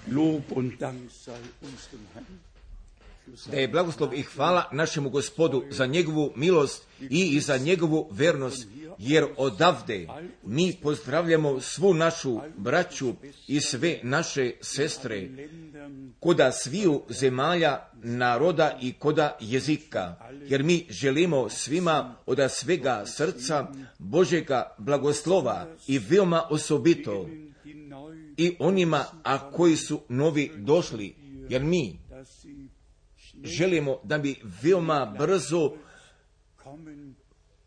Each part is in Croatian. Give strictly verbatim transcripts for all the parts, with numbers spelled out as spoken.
Lob und Dank sei unserem Herrn. Da je blagoslov i hvala našemu Gospodu za njegovu milost i za njegovu vernost, jer odavde mi pozdravljamo svu našu braću i sve naše sestre, koda sviju zemalja, naroda i koda jezika, jer mi želimo svima od svega srca Božjega blagoslova i veoma osobito i onima a koji su novi došli, jer mi želimo da bi veoma brzo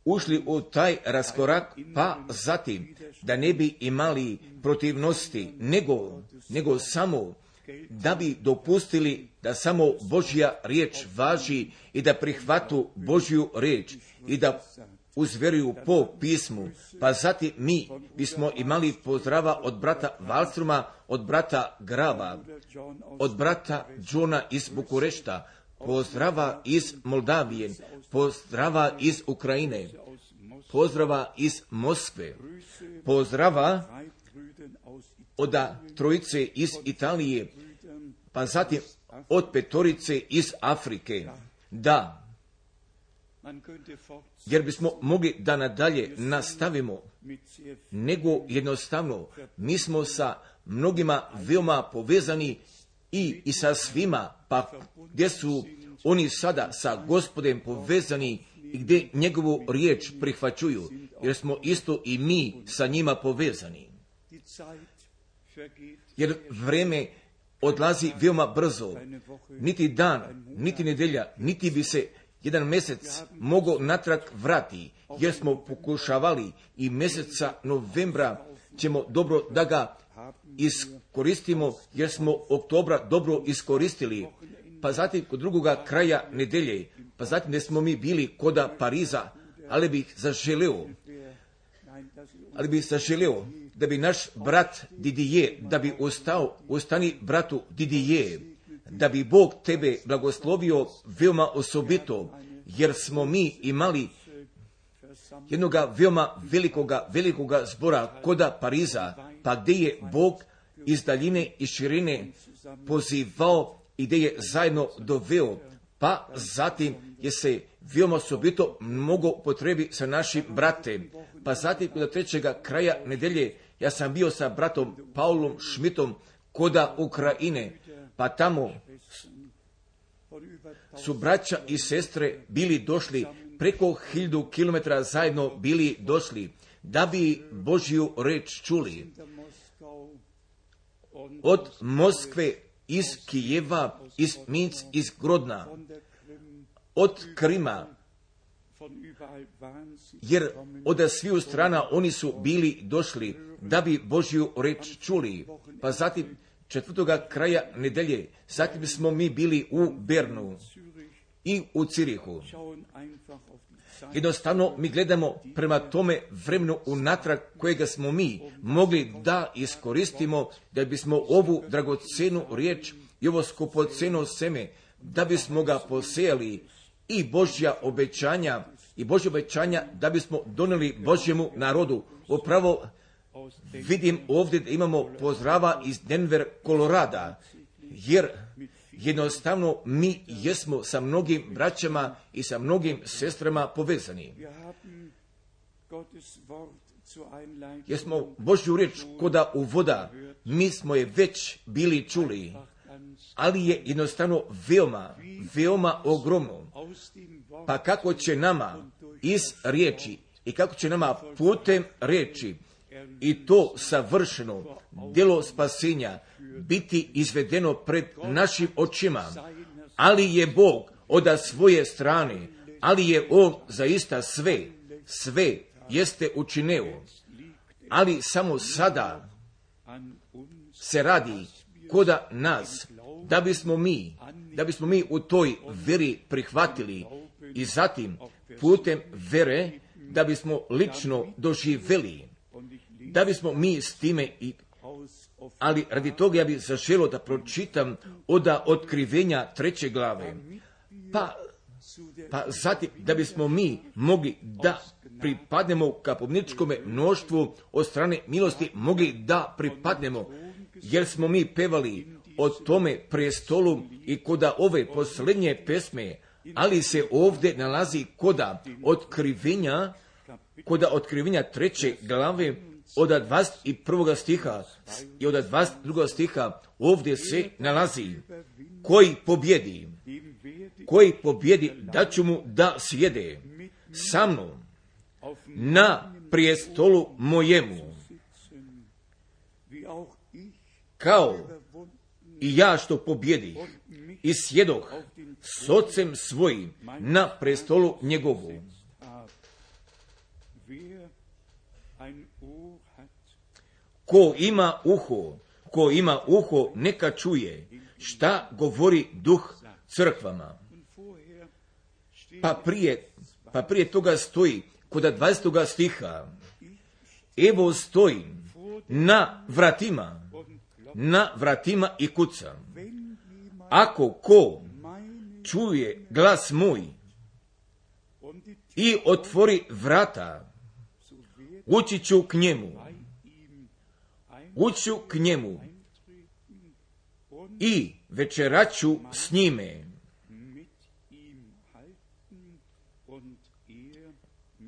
ušli u taj raskorak, pa zatim da ne bi imali protivnosti, nego, nego samo da bi dopustili da samo Božja riječ važi i da prihvatu Božju riječ i da uzveruju po pismu. Pa zatim mi bismo imali pozdrava od brata Valstruma, od brata Grava, od brata Johna iz Bukurešta, pozdrava iz Moldavije, pozdrava iz Ukrajine, pozdrava iz Moskve, pozdrava od trojice iz Italije, pa zatim od petorice iz Afrike. Da, jer bismo mogli da nadalje nastavimo, nego jednostavno mi smo sa mnogima veoma povezani i, i sa svima, pa gdje su oni sada sa Gospodem povezani i gdje njegovu riječ prihvaćuju, jer smo isto i mi sa njima povezani. Jer vreme odlazi veoma brzo, niti dan, niti nedelja, niti bi se jedan mjesec mogao natrag vrati, jer smo pokušavali i mjeseca novembra ćemo dobro da ga iskoristimo, jer smo oktobra dobro iskoristili, pa zatim kod drugoga kraja nedelje, pa zatim ne smo mi bili koda Pariza, ali bih zaželeo, ali bih zaželeo da bi naš brat Didije, da bi ostao, ostani bratu Didije, da bi Bog tebe blagoslovio veoma osobito, jer smo mi imali jednoga veoma velikoga, velikoga zbora koda Pariza, pa gdje je Bog iz daljine i širine pozivao i gdje je zajedno doveo, pa zatim je se veoma osobito mnogo potrebi sa našim bratem. Pa zatim kod trećega kraja nedelje ja sam bio sa bratom Paulom Šmitom koda Ukrajine, pa tamo su braća i sestre bili došli, preko hiljadu kilometara zajedno bili došli, da bi Božju reč čuli. Od Moskve, iz Kijeva, iz Minc, iz Grodna, od Krima, jer od sviju strana oni su bili došli da bi Božju reč čuli. Pa zatim četvrtoga kraja nedelje, zatim smo mi bili u Bernu i u Cirihu. Jednostavno mi gledamo prema tome vremenu unatrag kojega smo mi mogli da iskoristimo, da bismo ovu dragocenu riječ i ovo skupoceno seme, da bismo ga posejali i Božja obećanja, i Božja obećanja da bismo donijeli Božjemu narodu. Upravo vidim ovdje da imamo pozdrava iz Denver, Kolorada, jer jednostavno mi jesmo sa mnogim braćama i sa mnogim sestrama povezani. Jesmo Božju riječ koda u voda, mi smo je već bili čuli, ali je jednostavno veoma, veoma ogromno. Pa kako će nama iz riječi i kako će nama putem riječi i to savršeno djelo spasenja biti izvedeno pred našim očima, ali je Bog od svoje strane, ali je On zaista sve, sve jeste učineo, ali samo sada se radi koda nas, da bismo mi, da bismo mi u toj veri prihvatili i zatim putem vere da bismo lično doživjeli, da bismo mi s time i ali radi toga ja bih zaželio da pročitam od otkrivenja treće glave, pa, pa zatim da bismo mi mogli da pripadnemo kapobničkome mnoštvu od strane milosti, mogli da pripadnemo, jer smo mi pevali o tome prestolu i koda ove posljednje pesme, ali se ovdje nalazi koda otkrivenja, koda otkrivenja treće glave od dvadeset prvog stiha i od dvadeset drugog stiha ovdje se nalazi koji pobjedi, koji pobjedi da ću mu da sjede sa mnom na prijestolu mojemu, kao i ja što pobjedi i sjedoh s ocem svojim na prestolu njegovu. Ko ima uho, ko ima uho, neka čuje šta govori duh crkvama. Pa prije, pa prije toga stoji kod dvadesetog stiha, evo stojim na vratima, na vratima i kucam. Ako ko čuje glas moj i otvori vrata, ući ću k njemu, uću k njemu i večeraću s njime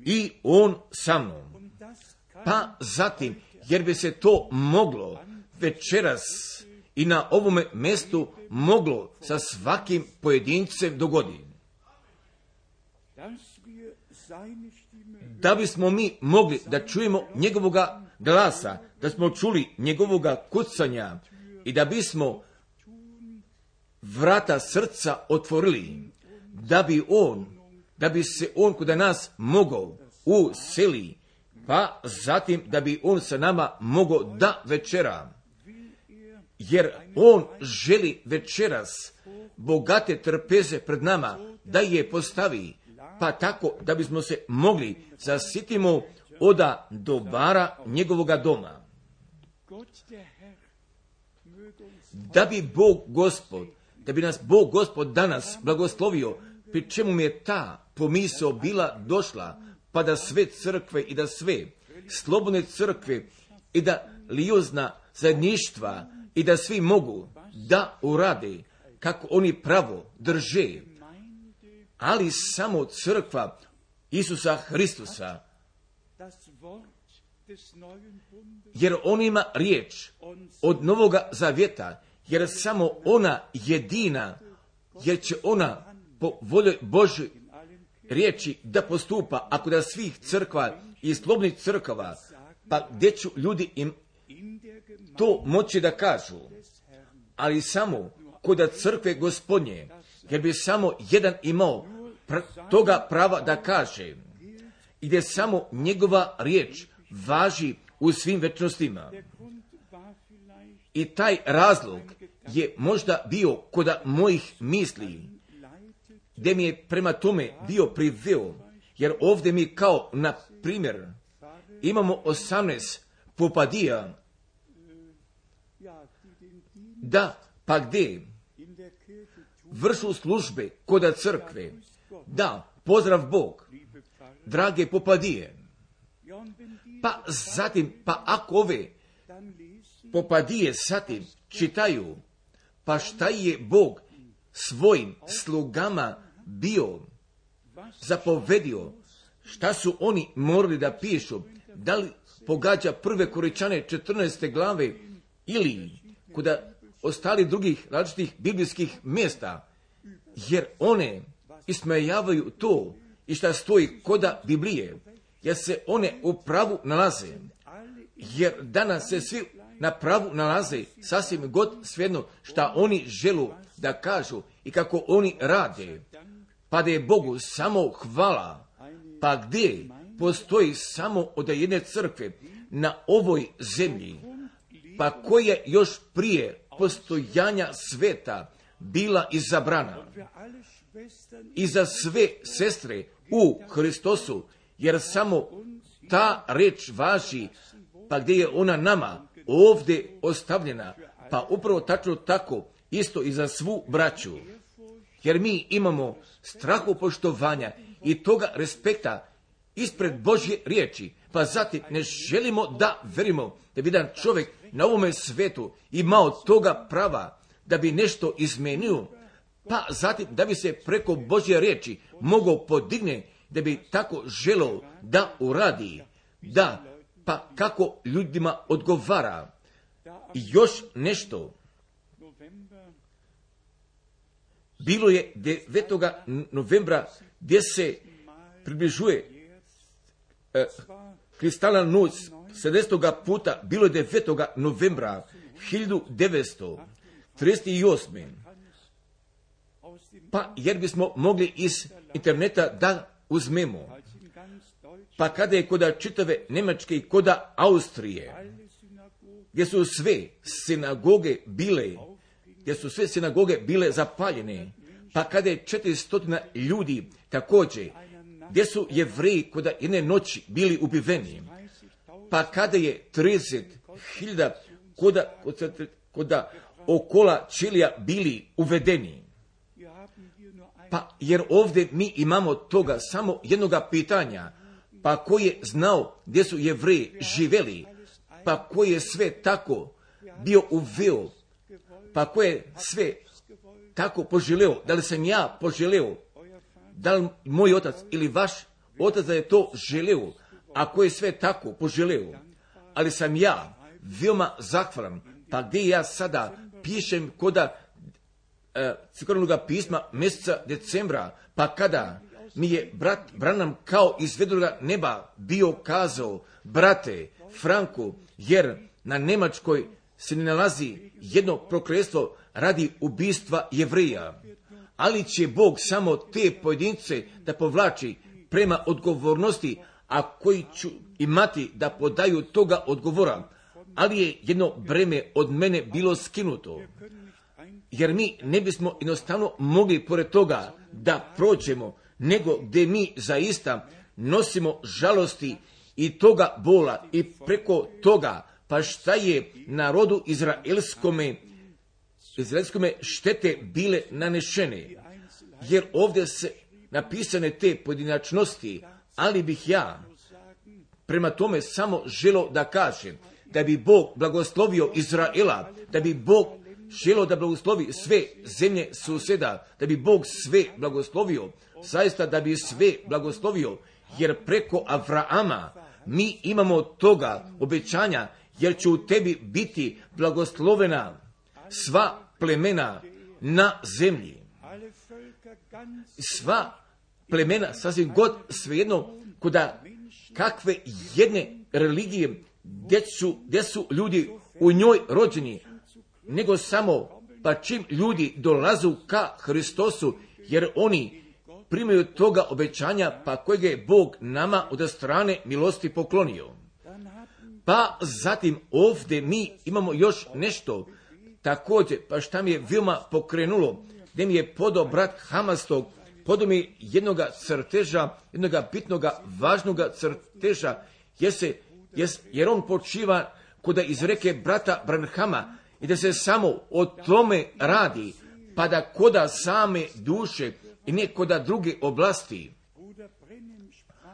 i on sa mnom. Pa zatim, jer bi se to moglo večeras i na ovome mjestu moglo sa svakim pojedincem dogoditi. Da bismo mi mogli da čujemo njegovoga glasa, da smo čuli njegovoga kucanja i da bismo vrata srca otvorili, da bi on, da bi se on kod nas mogao useli, pa zatim da bi on sa nama mogao da večera. Jer on želi večeras bogate trpeze pred nama da je postavi, pa tako da bismo se mogli zasitimo oda dobara njegovoga doma. Da bi Bog Gospod, da bi nas Bog Gospod danas blagoslovio, pri čemu mi je ta pomisao bila došla, pa da sve crkve i da sve slobodne crkve i da lijozna zajedništva i da svi mogu da urade kako oni pravo drže, ali samo crkva Isusa Hristusa, jer on ima riječ od Novoga Zavjeta, jer samo ona jedina, jer će ona po volji Božoj riječi da postupa, ako da svih crkva i slobodnih crkava, pa gdje ću ljudi im to moći da kažu, ali samo kod crkve Gospodnje, jer bi samo jedan imao pr- toga prava da kaže, i gdje samo njegova riječ važi u svim večnostima. I taj razlog je možda bio kod mojih misli, gdje mi je prema tome bio priveo, jer ovdje mi kao, na primjer, imamo osamnaest popadija, da, pa gdje vršu službe kod crkve, da, pozdrav Bog, drage popadije. Pa zatim, pa ako ove popadije zatim čitaju, pa šta je Bog svojim slugama bio zapovedio, šta su oni morali da pišu, da li pogađa prve Koričane četrnaeste glave ili kod ostali drugih različitih biblijskih mjesta, jer one ismejavaju to i šta stoji koda Biblije, jer se one u pravu nalaze, jer danas se svi na pravu nalaze sasvim god svejedno šta oni želu da kažu i kako oni rade, pa da je Bogu samo hvala, pa gdje postoji samo od jedne crkve na ovoj zemlji, pa koja još prije postojanja sveta bila izabrana i za sve sestre u Hristosu, jer samo ta reč važi, pa gdje je ona nama ovdje ostavljena, pa upravo tačno tako isto i za svu braću, jer mi imamo strahopoštovanja i toga respekta ispred Božje riječi, pa zatim ne želimo da verimo da bi jedan čovjek na ovome svetu imao toga prava da bi nešto izmenio, pa zatim da bi se preko Božje riječi mogao podigne, da bi tako želeo da uradi, da, pa kako ljudima odgovara. I još nešto. Bilo je devetog novembra gdje se približuje eh, kristalna noć sedamdesetog puta, bilo je devetog novembra hiljadu devetsto trideset osme. Pa jer bismo mogli iz interneta da uzmemo. Pa kada je koda čitave Njemačke i koda Austrije, gdje su sve sinagoge bile, gdje su sve sinagoge bile zapaljene, pa kada je četiristo ljudi također, gdje su Jevreji koda jedne noći bili ubiveni, pa kada je trideset hiljada koda, koda okola Čilija bili uvedeni. Pa jer ovdje mi imamo toga samo jednoga pitanja, pa ko je znao gdje su Jevreji živeli, pa ko je sve tako bio uveo, pa ko je sve tako poželeo, da li sam ja poželeo, da li moj otac ili vaš otac da je to želeo, a ko je sve tako poželeo, ali sam ja veoma zahvalan, pa gdje ja sada pišem koda e, crkvenog pisma mjeseca decembra, pa kada mi je brat Branham kao iz vedroga neba bio kazao, brate Franku, jer na Njemačkoj se ne nalazi jedno prokletstvo radi ubistva Jevrija, ali će Bog samo te pojedince da povlači prema odgovornosti, a koji ću imati da podaju toga odgovora, ali je jedno breme od mene bilo skinuto, jer mi ne bismo jednostavno mogli pored toga da prođemo, nego gdje mi zaista nosimo žalosti i toga bola i preko toga, pa šta je narodu izraelskome, izraelskome štete bile nanešene, jer ovdje se napisane te pojedinačnosti, ali bih ja prema tome samo želio da kažem, da bi Bog blagoslovio Izraela, da bi Bog želio da blagoslovi sve zemlje susjeda, da bi Bog sve blagoslovio, zaista da bi sve blagoslovio, jer preko Avrama mi imamo toga obećanja, jer će u tebi biti blagoslovena sva plemena na zemlji. Sva plemena, sasvim god svejedno, koda kakve jedne religije, gdje su, gdje su ljudi u njoj rođeni, nego samo pa čim ljudi dolazu ka Hristosu, jer oni primaju toga obećanja, pa kojeg je Bog nama od strane milosti poklonio. Pa zatim ovdje mi imamo još nešto također, pa šta mi je veoma pokrenulo, gdje mi je podao brat Hamastog, podao mi jednoga crteža, jednoga bitnoga, važnoga crteža, jer, se, jer on počiva koda iz reke brata Branhama, i da se samo o tome radi, pa da koda same duše i ne koda druge oblasti.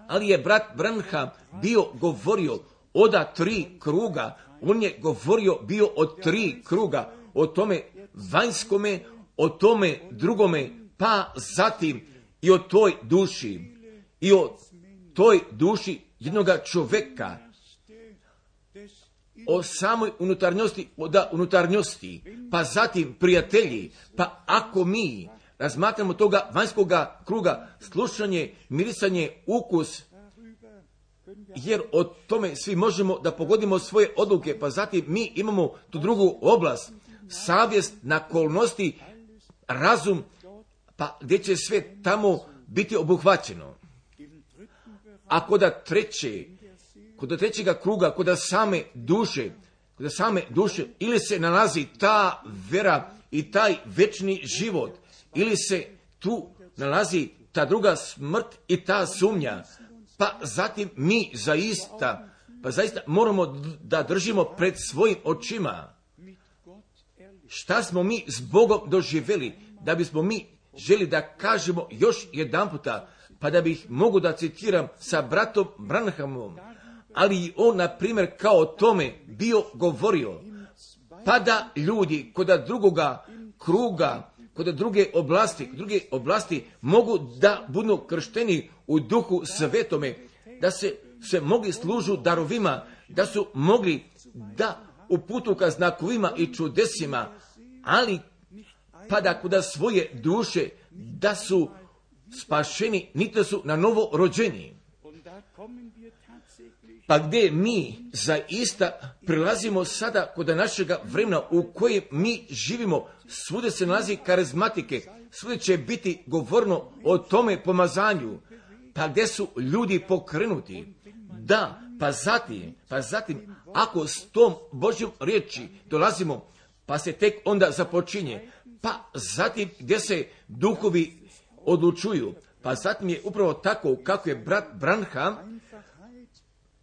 Ali je brat Branham bio govorio oda tri kruga, on je govorio bio o tri kruga, o tome vanjskome, o tome drugome, pa zatim i o toj duši, i o toj duši jednoga čoveka, o samoj unutarnjosti, da unutarnjosti, pa zatim prijatelji, pa ako mi razmatramo toga vanjskoga kruga, slušanje, mirisanje, ukus, jer o tome svi možemo da pogodimo svoje odluke, pa zatim mi imamo tu drugu oblast, savjest, nakolnosti, razum, pa gdje će sve tamo biti obuhvaćeno. A koda treće, kod trećega kruga, kod same duše, kod same duše, ili se nalazi ta vera i taj večni život, ili se tu nalazi ta druga smrt i ta sumnja, pa zatim mi zaista, pa zaista moramo da držimo pred svojim očima šta smo mi s Bogom doživjeli, da bismo mi želi da kažemo još jedan puta, pa da bih mogu da citiram sa bratom Branhamom, ali on, na primjer, kao o tome bio govorio, pa da ljudi koda drugoga kruga, kod druge oblasti, druge oblasti mogu da budu kršteni u duhu svetome, da se, se mogli služu darovima, da su mogli da uputu ka znakovima i čudesima, ali pa da kod svoje duše da su spašeni, niti su na novo rođeni. Pa gdje mi zaista prilazimo sada kod našega vremena u kojem mi živimo, svude se nalazi karizmatike, svude će biti govorno o tome pomazanju, pa gdje su ljudi pokrenuti. Da, pa zatim, pa zatim, ako s tom Božjom riječi dolazimo, pa se tek onda započinje, pa zatim gdje se duhovi odlučuju, pa zatim je upravo tako kako je brat Branham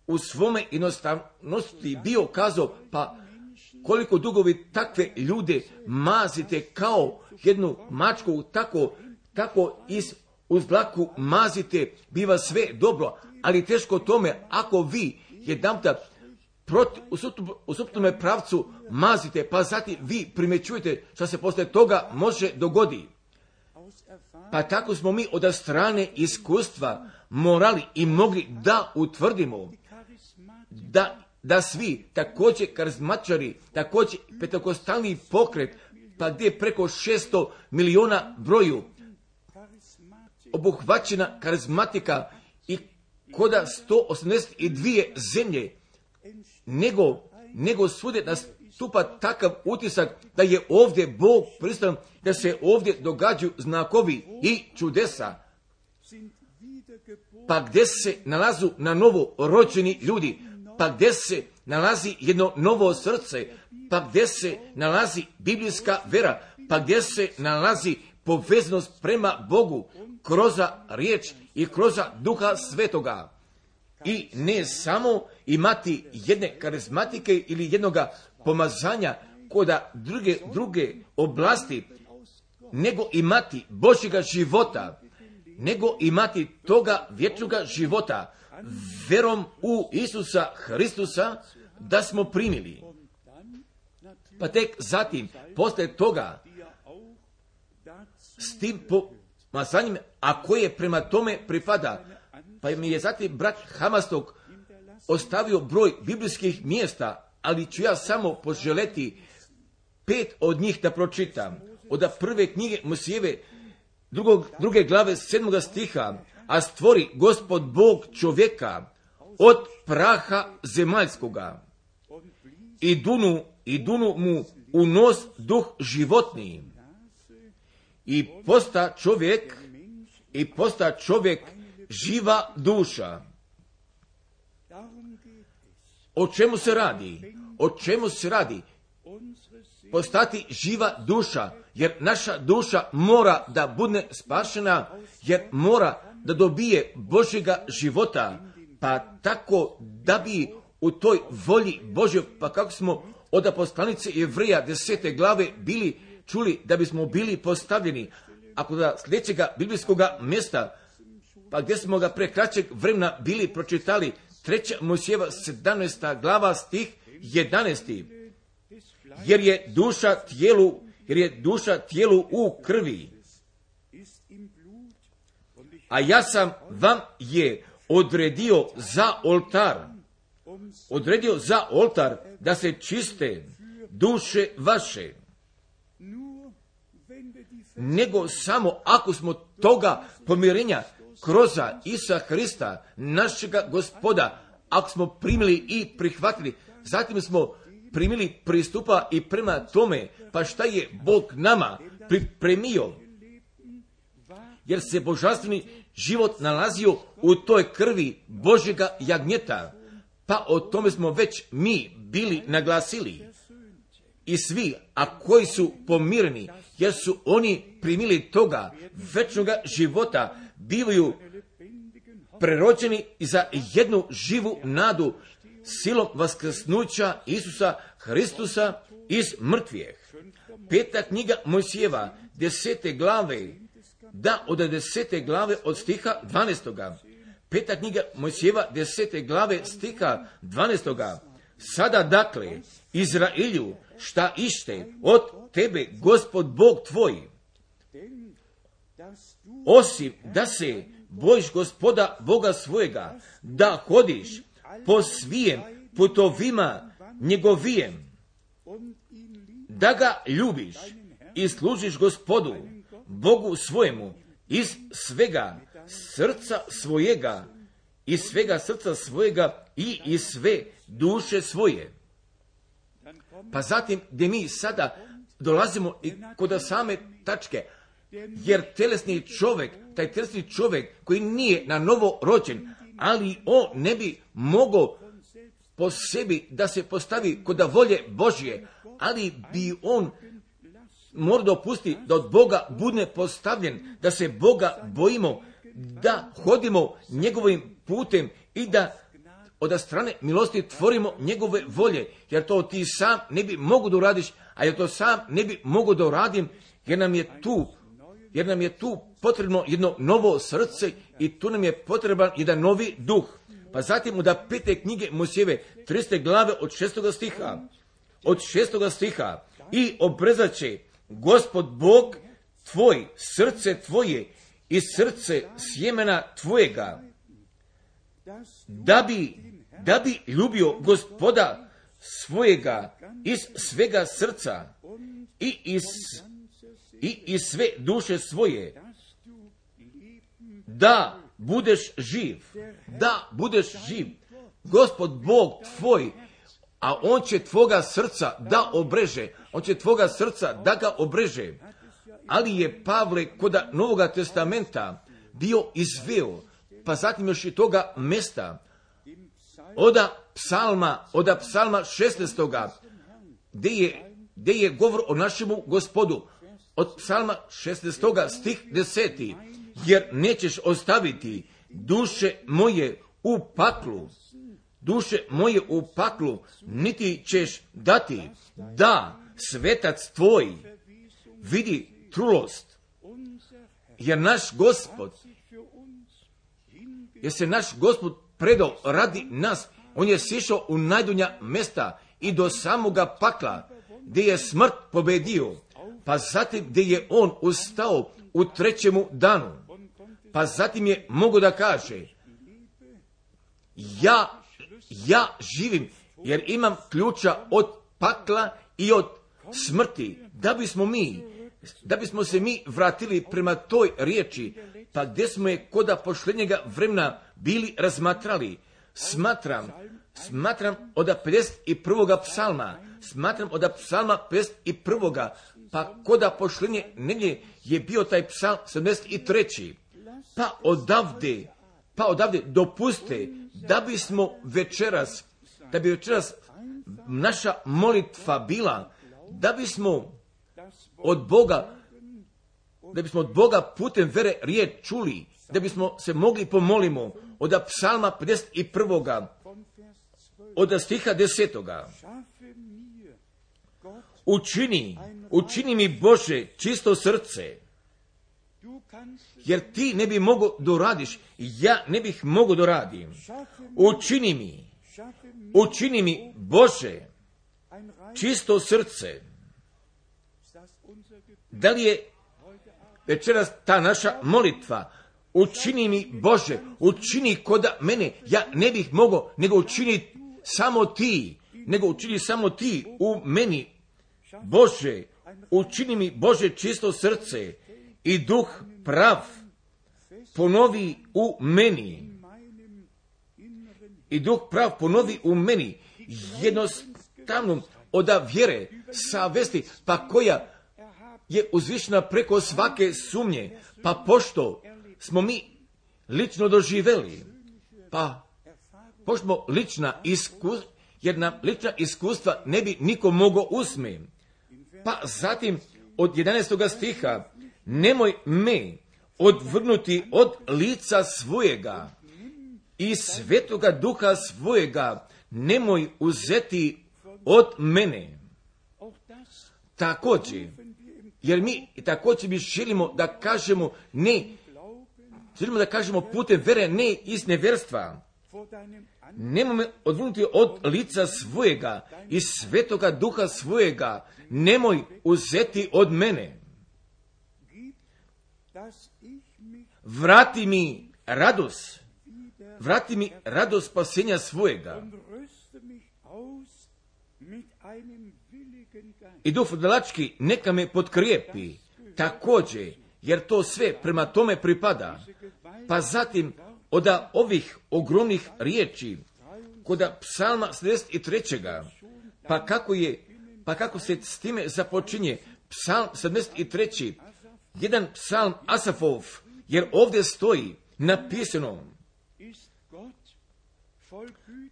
u svome jednostavnosti bio kazao, pa koliko dugovi takve ljude mazite kao jednu mačku, tako, tako iz uz dlaku mazite, biva sve dobro, ali teško tome ako vi jedanputa proti, u suprotnome pravcu mazite, pa zatim vi primjećujete što se posle toga može dogodi. Pa tako smo mi od strane iskustva morali i mogli da utvrdimo da, da svi također karizmatičari, također pentekostalni pokret, pa gdje je preko šesto miliona broju obuhvaćena karizmatika i koda sto osamdeset dvije zemlje, nego, nego svude nastupa takav utisak da je ovdje Bog prisutan, da se ovdje događaju znakovi i čudesa. Pa gdje se nalazu na novo rođeni ljudi, pa gdje se nalazi jedno novo srce, pa gdje se nalazi biblijska vera, pa gdje se nalazi povezanost prema Bogu kroz riječ i kroz Duha Svetoga. I ne samo imati jedne karizmatike ili jednoga pomazanja koda druge, druge oblasti, nego imati Božjega života, nego imati toga vječnoga života, verom u Isusa Hristusa da smo primili. Pa tek zatim, posle toga, s tim pomazanjem, a koje prema tome pripada, pa mi je zatim brat Hamastog ostavio broj biblijskih mjesta, ali ću ja samo poželeti pet od njih da pročitam. Od prve knjige Mojsijeve, drugog, druge glave sedmoga stiha, a stvori Gospod Bog čovjeka od praha zemaljskoga i dunu, i dunu mu u nos duh životni i posta čovjek i posta čovjek živa duša. O čemu se radi? O čemu se radi? Postati živa duša, jer naša duša mora da bude spašena, jer mora da dobije Božjega života, pa tako da bi u toj volji Božjoj, pa kako smo od poslanice Jevreja desete glave bili čuli da bismo bili postavljeni, ako da sljedećega biblijskog mjesta, pa gdje smo ga pre kraćeg vremena bili pročitali, treća Mojsijeva sedamnaesta glava stih jedanaesti. Jer je duša tijelu, jer je duša tijelu u krvi. A ja sam vam je odredio za oltar, odredio za oltar da se čiste duše vaše. Nego samo ako smo toga pomirenja kroz Isusa Hrista, našega Gospoda, ako smo primili i prihvatili, zatim smo primili pristupa i prema tome, pa šta je Bog nama pripremio, jer se božanstveni život nalazio u toj krvi Božjega jagnjeta, pa o tome smo već mi bili naglasili. I svi, a koji su pomireni, jer su oni primili toga večnoga života, bivaju prerođeni za jednu živu nadu silom vaskrsnuća Isusa Hristusa iz mrtvijeh. Peta knjiga Mojsijeva, desete glave, da od desete glave od stiha dvanaestoga. Peta knjiga Mojsijeva, desete glave stiha dvanaestoga. Sada dakle, Izraelju, šta ište od tebe, Gospod Bog tvoj, osim da se bojiš Gospoda Boga svojega, da hodiš po svijem putovima njegovijem, da ga ljubiš i služiš Gospodu Bogu svojemu iz svega srca svojega, iz svega srca svojega i iz sve duše svoje. Pa zatim gdje mi sada dolazimo i kod same tačke, jer telesni čovjek, taj telesni čovjek koji nije na novo rođen, ali on ne bi mogao po sebi da se postavi kod volje Božje, ali bi on mora dopustiti da od Boga bude postavljen, da se Boga bojimo, da hodimo njegovim putem i da od strane milosti tvorimo njegove volje, jer to ti sam ne bi mogu da uradiš, a jer to sam ne bi mogu da uradim, jer nam je tu, jer nam je tu potrebno jedno novo srce i tu nam je potreban jedan novi duh. Pa zatim od pete knjige Mojsijeve, triste glave od šestoga stiha, od šestoga stiha, i obrezaće Gospod Bog tvoj srce tvoje i srce sjemena tvojega, da bi, da bi ljubio Gospoda svojega iz svega srca i iz, i iz sve duše svoje, da budeš živ, da budeš živ. Gospod Bog tvoj, a on će tvoga srca da obreže, on će tvoga srca da ga obreže. Ali je Pavle kod Novoga testamenta bio izveo, pa zatim još i toga mesta, oda psalma, oda psalma šesnaestoga, gdje je, gdje je govor o našemu Gospodu, od psalma šesnaestoga stih deseti, jer nećeš ostaviti duše moje u paklu, duše moje u paklu, niti ćeš dati da svetac tvoj vidi trulost, jer naš Gospod, jer se naš Gospod predao radi nas, on je sišao u najdunja mesta i do samoga pakla, gdje je smrt pobedio, pa zatim gdje je on ustao u trećemu danu, pa zatim je mogo da kaže, ja, ja živim, jer imam ključa od pakla i od smrti, da bismo mi, da bismo se mi vratili prema toj riječi, pa gdje smo je koda pošlednjega vremena bili razmatrali. Smatram, smatram od pedeset prvoga psalma, smatram od psalma pedeset prvoga, pa koda pošlednje nedjelje je bio taj psalm sedamdeset treći. Pa odavde, pa odavde dopuste da bismo večeras, da bi večeras naša molitva bila, da bismo od Boga, da bismo od Boga putem vere riječ čuli, da bismo se mogli pomolimo od psalma pedeset prvoga, od stiha desetoga. Učini, učini mi Bože čisto srce, jer ti ne bi mogo da radiš, ja ne bih mogo da radim. Učini mi, učini mi Bože čisto srce. Da li je večeras ta naša molitva? Učini mi Bože, učini koda mene, ja ne bih mogao, nego učini samo ti, nego učini samo ti u meni. Bože, učini mi Bože čisto srce i duh prav ponovi u meni. I duh prav ponovi u meni. Jednostavno od vjere savesti, pa koja je uzvišena preko svake sumnje, pa pošto smo mi lično doživeli, pa pošto smo lična iskustva, jer nam lična iskustva ne bi niko mogao usme. Pa zatim od jedanaestoga stiha, nemoj me odvrnuti od lica svojega i svetoga duha svojega, nemoj uzeti od mene. Također, jer mi također bi želimo da kažemo ne, želimo da kažemo putem vere ne iz nevjerstva, nemoj me odvrnuti od lica svojega i svetoga duha svojega, nemoj uzeti od mene. Vrati mi radost, vrati mi radost spasenja svojega. I duh vrdalački neka me potkrijepi, također, jer to sve prema tome pripada. Pa zatim, od ovih ogromnih riječi, kod psalma sedamdeset tri. Pa kako je, pa kako se s time započinje psalm sedamdeset tri. Jedan psalm Asafov, jer ovdje stoji napisano: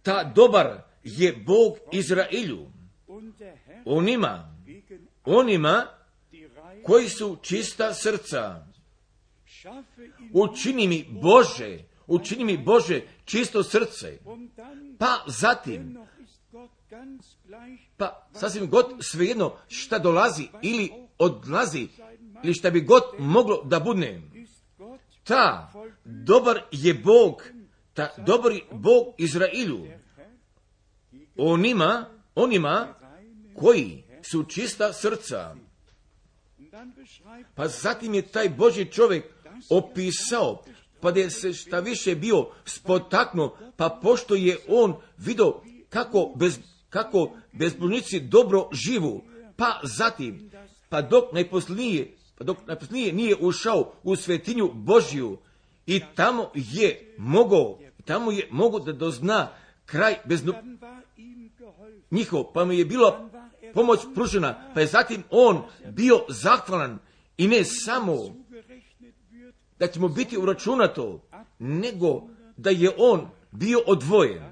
ta dobar je Bog Izraelju, onima, onima koji su čista srca. Učini mi Bože, učini mi Bože čisto srce. Pa zatim, pa sasvim god svejedno šta dolazi ili odlazi, ili šta bi god moglo da budne, ta dobar je Bog, ta dobar je Bog Izraelju, onima, onima koji su čista srca. Pa zatim je taj Božji čovjek opisao, pa da je se šta više bio spotaknuo, pa pošto je on vidio kako, bez, kako bezbožnici dobro živu, pa zatim, pa dok najposlije, pa dok najposlije nije ušao u svetinju Božju i tamo je mogao, tamo je mogao da dozna kraj bezno njihov, pa mu je bila pomoć pružena, pa je zatim on bio zahvalan i ne samo da će mu biti uračunato, nego da je on bio odvojen.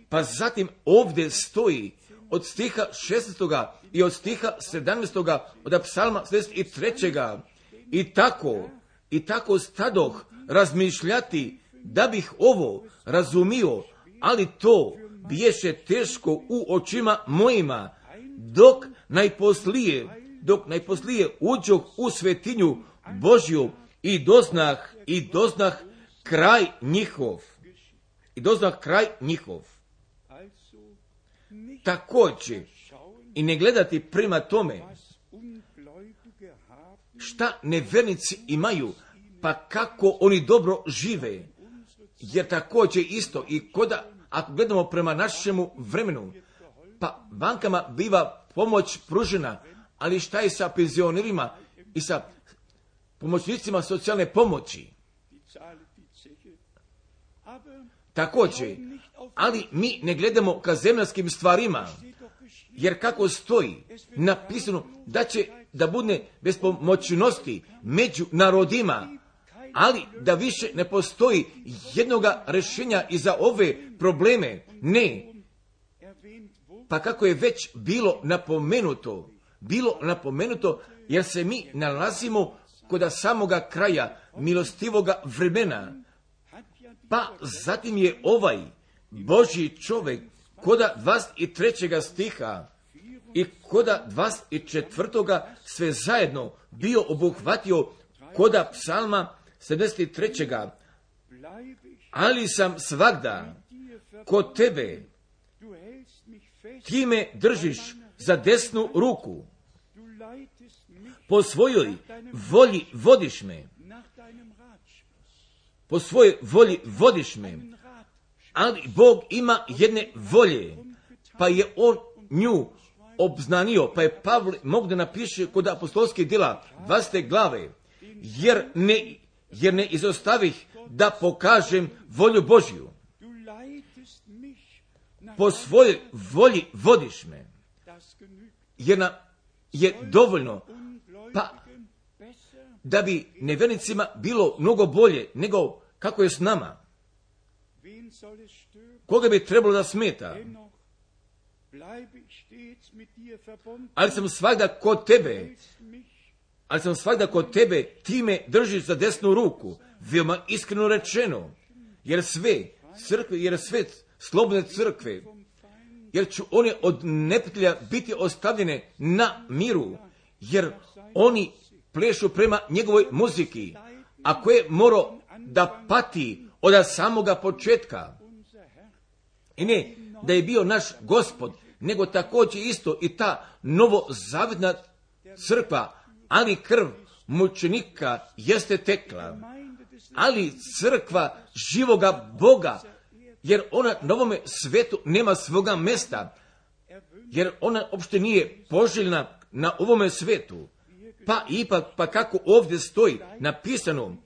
Pa zatim ovdje stoji od stiha šesnaestog i od stiha sedamnaestog od psalma sedamdeset tri. I tako, i tako stadoh razmišljati da bih ovo razumio, ali to biješe teško u očima mojima, dok najposlije, dok najposlije uđoh u svetinju Božju i doznah, i doznah kraj njihov. I doznah kraj njihov. Također, i ne gledati prema tome šta nevernici imaju, pa kako oni dobro žive, jer također isto i koda, ako gledamo prema našemu vremenu, pa bankama biva pomoć pružena, ali šta je sa penzionerima i sa pomoćnicima socijalne pomoći? Također, ali mi ne gledamo ka zemljanskim stvarima, jer kako stoji napisano da će da bude bespomoćnosti među narodima, ali da više ne postoji jednoga rješenja i za ove probleme. Ne. Pa kako je već bilo napomenuto, bilo napomenuto, jer se mi nalazimo kod samoga kraja milostivoga vremena. Pa zatim je ovaj Božji čovjek koda dvadeset trećeg stiha i koda dvadeset četvrtoga sve zajedno bio obuhvatio koda psalma sedamdeset tri. Ali sam svagda kod tebe, ti me držiš za desnu ruku, po svojoj volji vodiš me, po svojoj volji vodiš me, ali Bog ima jedne volje, pa je on nju obznanio, pa je Pavle mogu da napiše kod apostolskih djela dvadesete glave, jer ne, jer ne izostavih da pokažem volju Božju. Po svojoj volji vodiš me, jer na, je dovoljno, pa da bi nevjernicima bilo mnogo bolje nego kako je s nama. Koga bi trebalo da smeta? Ali sam svagda kod tebe, ali sam svagda kod tebe, ti me držiš za desnu ruku, veoma iskreno rečeno, jer sve crkve, jer sve slobodne crkve, jer ću one od neprijatelja biti ostavljene na miru, jer oni plešu prema njegovoj muziki, a koje mora da pati od samoga početka. I ne da je bio naš Gospod, nego također isto i ta novozavjetna crkva, ali krv mučenika jeste tekla, ali crkva živoga Boga, jer ona na ovome svetu nema svoga mesta, jer ona uopšte nije poželjna na ovome svetu. Pa ipak, pa kako ovdje stoji napisano,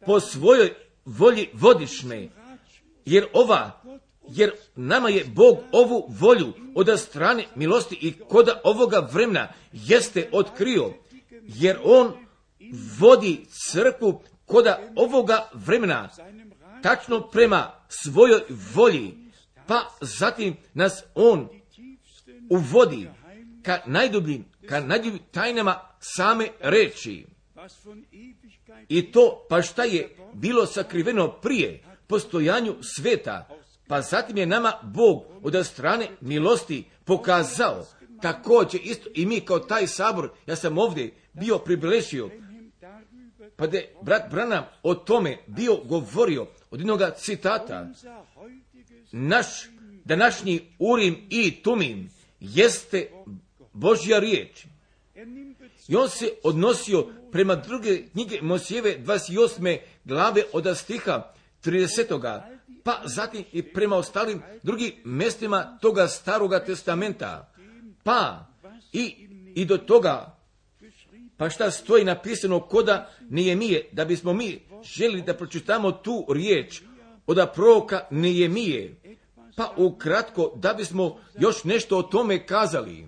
po svojoj volji vodišme, jer ova, jer nama je Bog ovu volju od strane milosti i koda ovoga vremena jeste otkrio, jer on vodi crkvu koda ovoga vremena, tačno prema svojoj volji, pa zatim nas on uvodi ka najdubljim, ka najdubljim tajnama same reči. I to, pa šta je bilo sakriveno prije postojanju sveta, pa zatim je nama Bog od strane milosti pokazao. Također isto i mi kao taj sabor, ja sam ovdje bio pribilešio, pa da je brat Branham o tome bio govorio od jednog citata. Naš današnji Urim i Tumim jeste Božja riječ. I on se odnosio prema druge knjige Mojsijeve dvadeset osme glave od stiha tridesetoga, pa zatim i prema ostalim drugim mjestima toga staroga testamenta. Pa i, i do toga, pa šta stoji napisano koda Nehemije, da bismo mi željeli da pročitamo tu riječ od proroka Nehemije, pa ukratko da bismo još nešto o tome kazali.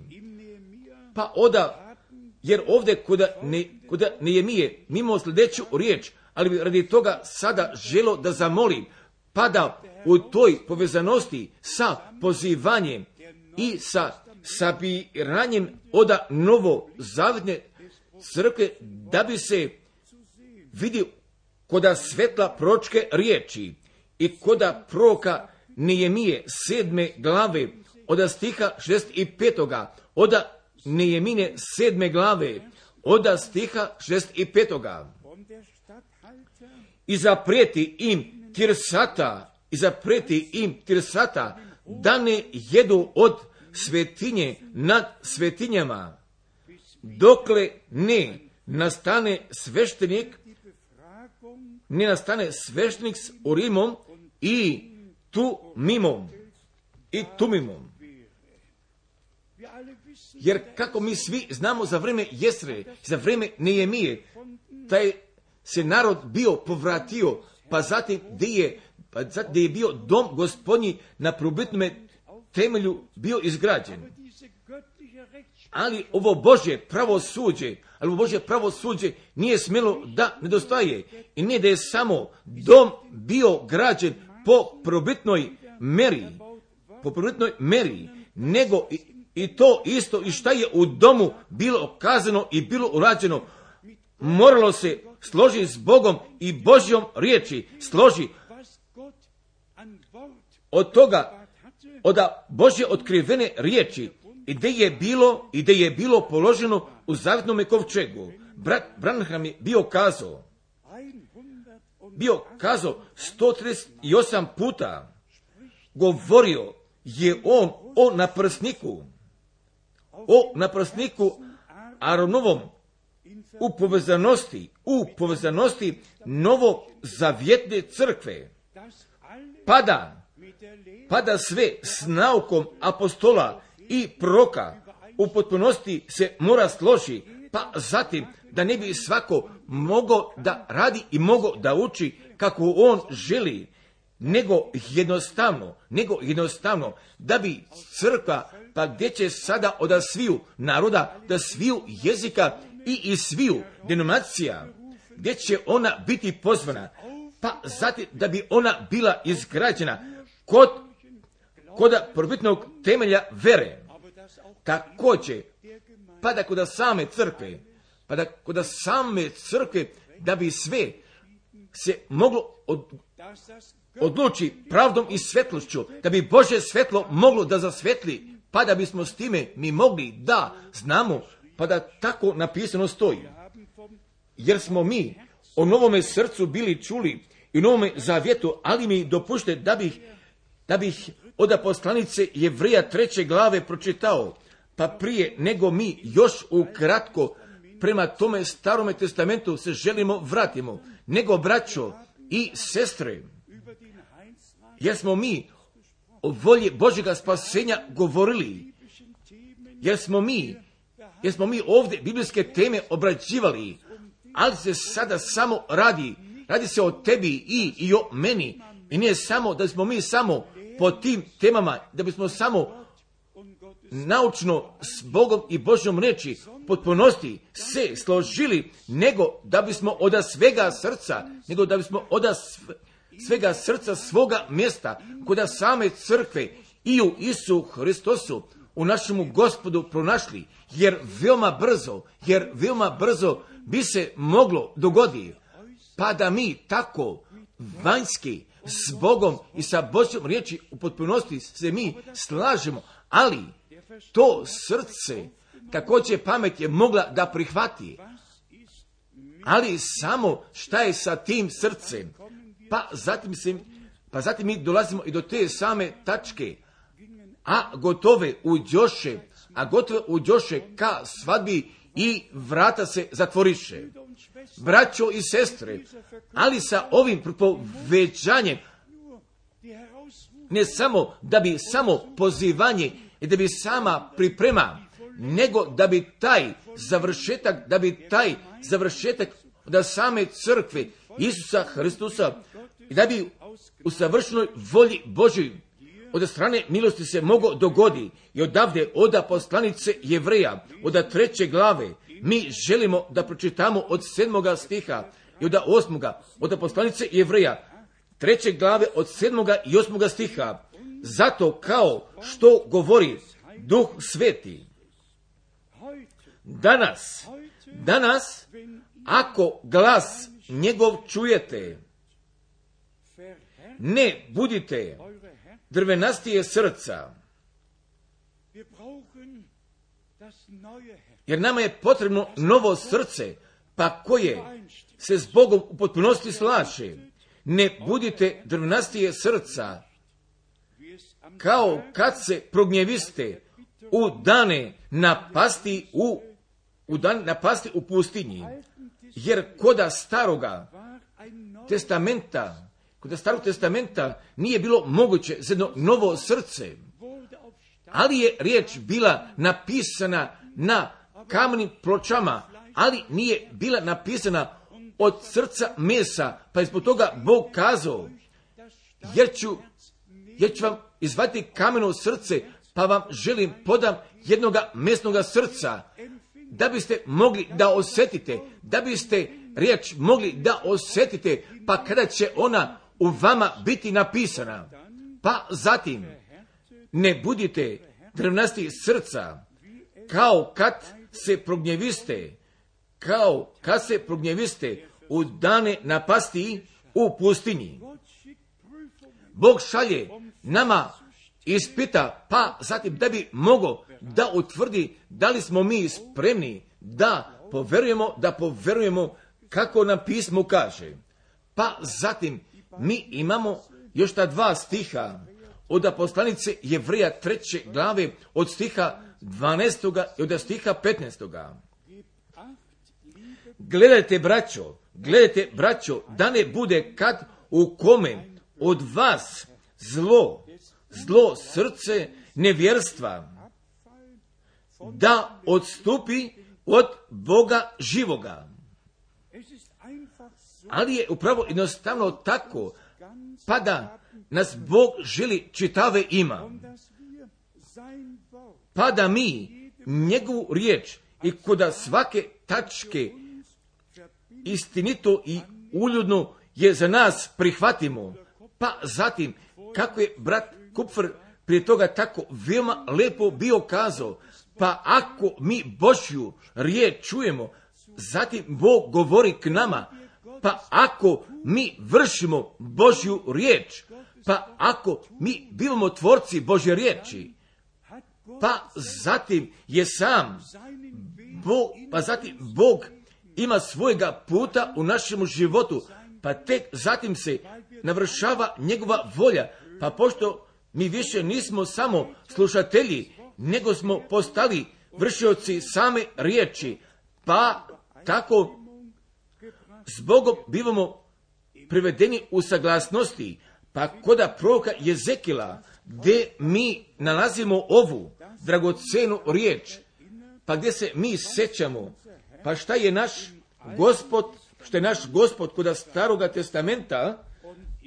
Pa oda, jer ovdje koda, ne, koda Nehemije mimo sljedeću riječ, ali bi radi toga sada želo da zamolim, pa da u toj povezanosti sa pozivanjem i sa sabiranjem oda novo zavjetne crkve, da bi se vidio koda svetla proročke riječi i koda proroka Nehemije sedme glave od stiha šezdeset petoga, od Nehemine sedme glave od stiha šezdeset petoga. I zaprijeti im Tirsata, i zaprijeti im Tirsata da ne jedu od svetinje nad svetinjama, dokle ne nastane sveštenik, ne nastane sveštenik s Urimom i Tumimom, i Tumimom. Jer kako mi svi znamo za vrijeme Jesre, za vrijeme Nehemije, taj se narod bio povratio, pa zatim gdje je, pa zatim gdje je bio dom gospodnji na probitnom temelju bio izgrađen. Ali ovo Božje pravosuđe, ali ovo Božje pravosuđe nije smjelo da nedostaje. I ne da je samo dom bio građen po probitnoj meri, po probitnoj meri, nego i, i to isto i šta je u domu bilo kazano i bilo urađeno, moralo se složi s Bogom i Božjom riječi, složi od toga, od Božje otkrivene riječi, i gdje je bilo, i gdje je bilo položeno u zavjetnom kovčegu. Brat Branham je bio kazao, bio kazao sto trideset osam puta, govorio je on o naprsniku, o naprsniku Aaronovom, u povezanosti, u povezanosti novozavjetne crkve, pada, pada sve s naukom apostola i proroka, u potpunosti se mora složi, pa zatim da ne bi svako mogao da radi i mogao da uči kako on želi, nego jednostavno, nego jednostavno da bi crkva, pa gdje će sada od sviju naroda, da sviju jezika i iz sviju denominacija, gdje će ona biti pozvana, pa zatim da bi ona bila izgrađena kod, kod prvobitnog temelja vere. Također, pa da kod same crkve, pa da kod same crkve, da bi sve se moglo od, odluči pravdom i svetlošću, da bi Božje svetlo moglo da zasvetli, pa da bismo s time mi mogli da znamo, pa da tako napisano stoji. Jer smo mi o novome srcu bili čuli i u novome zavjetu, ali mi dopušte da bih da bih od poslanice Jevreja treće glave pročitao, pa prije nego mi još ukratko prema tome Starome testamentu se želimo vratimo, nego braćo i sestre, jer smo mi o volji Božjega spasenja govorili, jer smo mi, jer smo mi ovdje biblijske teme obrađivali, ali se sada samo radi, radi se o tebi i, i o meni, i nije samo da smo mi samo po tim temama, da bismo samo naučno s Bogom i Božjom riječi potpunosti se složili, nego da bismo od svega srca, nego da bismo od svega srca svoga mjesta, kod same crkve i u Isu Hristosu, u našemu Gospodu pronašli, jer veoma brzo, jer veoma brzo bi se moglo dogoditi, pa da mi tako vanjski s Bogom i sa Božjom riječi u potpunosti se mi slažemo, ali to srce također pamet je mogla da prihvati. Ali samo šta je sa tim srcem? Pa zatim, se, pa zatim mi dolazimo i do te same tačke, a gotove uđoše, a gotove uđoše ka svadbi i vrata se zatvoriše. Braćo i sestre, ali sa ovim propoveđanjem, ne samo da bi samo pozivanje i da bi sama priprema, nego da bi taj završetak, da bi taj završetak da same crkve Isusa Hristusa, i da bi u savršenoj volji Božoj od strane milosti se mogo dogodi, i odavde od poslanice Jevreja, od treće glave, mi želimo da pročitamo od sedmoga stiha i od osmoga, od poslanice Jevreja, treće glave od sedmoga i osmoga stiha. Zato kao što govori Duh Sveti, danas, danas, ako glas njegov čujete, ne budite drvenastije srca, jer nama je potrebno novo srce, pa koje se s Bogom u potpunosti slaže. Ne budite drvenastije srca, kao kad se prognjeviste u dane napasti u, u dan napasti u pustinji, jer koda staroga testamenta, koda starog testamenta nije bilo moguće za jedno novo srce, ali je riječ bila napisana na kamenim pločama, ali nije bila napisana od srca mesa, pa je zbog toga Bog kazao, jer ću, jer ću vam izvati kameno srce, pa vam želim podam jednoga mesnoga srca, da biste mogli da osjetite, da biste riječ mogli da osjetite, pa kada će ona u vama biti napisana. Pa zatim, ne budite drvnasti srca, kao kad se prognjeviste, kao kad se prognjeviste u dane napasti u pustinji. Bog šalje nama ispita, pa zatim da bi mogo da utvrdi da li smo mi spremni da poverujemo, da poverujemo kako nam pismo kaže. Pa zatim mi imamo još ta dva stiha od poslanice Jevreja treće glave, od stiha dvanaestoga i od stiha petnaestoga. Gledajte, braćo, gledajte, braćo, da ne bude kad u kome od vas zlo, zlo srce nevjerstva, da odstupi od Boga živoga. Ali je upravo jednostavno tako, pa da nas Bog želi čitave ima, pa da mi njegovu riječ i kod svake tačke istinito i uljudno je za nas prihvatimo. Pa zatim, kako je brat Kupfer prije toga tako veoma lepo bio kazao, pa ako mi Božju riječ čujemo, zatim Bog govori k nama, pa ako mi vršimo Božju riječ, pa ako mi bivamo tvorci Božje riječi, pa zatim je sam Bog, pa zatim Bog ima svojega puta u našemu životu, pa tek zatim se navršava njegova volja, pa pošto Mi više nismo samo slušatelji, nego smo postali vršioci same riječi, pa tako s Bogom bivamo privedeni u saglasnosti. Pa koda proroka Jezekila, gdje mi nalazimo ovu dragocenu riječ, pa gdje se mi sećamo, pa šta je naš Gospod, što je naš Gospod koda Staroga testamenta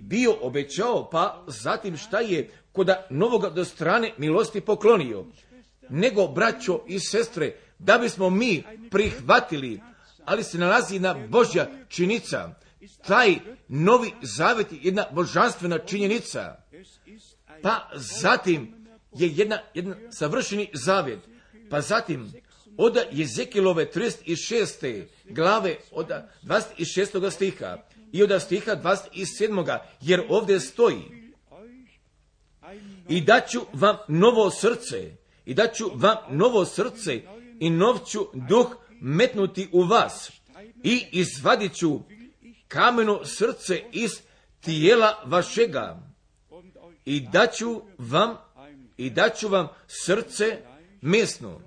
bio obećao, pa zatim šta je koda Novoga do strane milosti poklonio. Nego, braćo i sestre, da bismo mi prihvatili, ali se nalazi jedna Božja činica, taj Novi Zavet je jedna božanstvena činjenica, pa zatim je jedna, jedan savršeni zavjet, pa zatim od Jezekilove trideset šeste glave od dvadeset šestog stiha i od stiha dvadeset sedmog jer ovdje stoji: i daću vam novo srce, i daću vam novo srce i nov ću duh metnuti u vas i izvadit ću kameno srce iz tijela vašega i daću vam i daću vam srce mesno.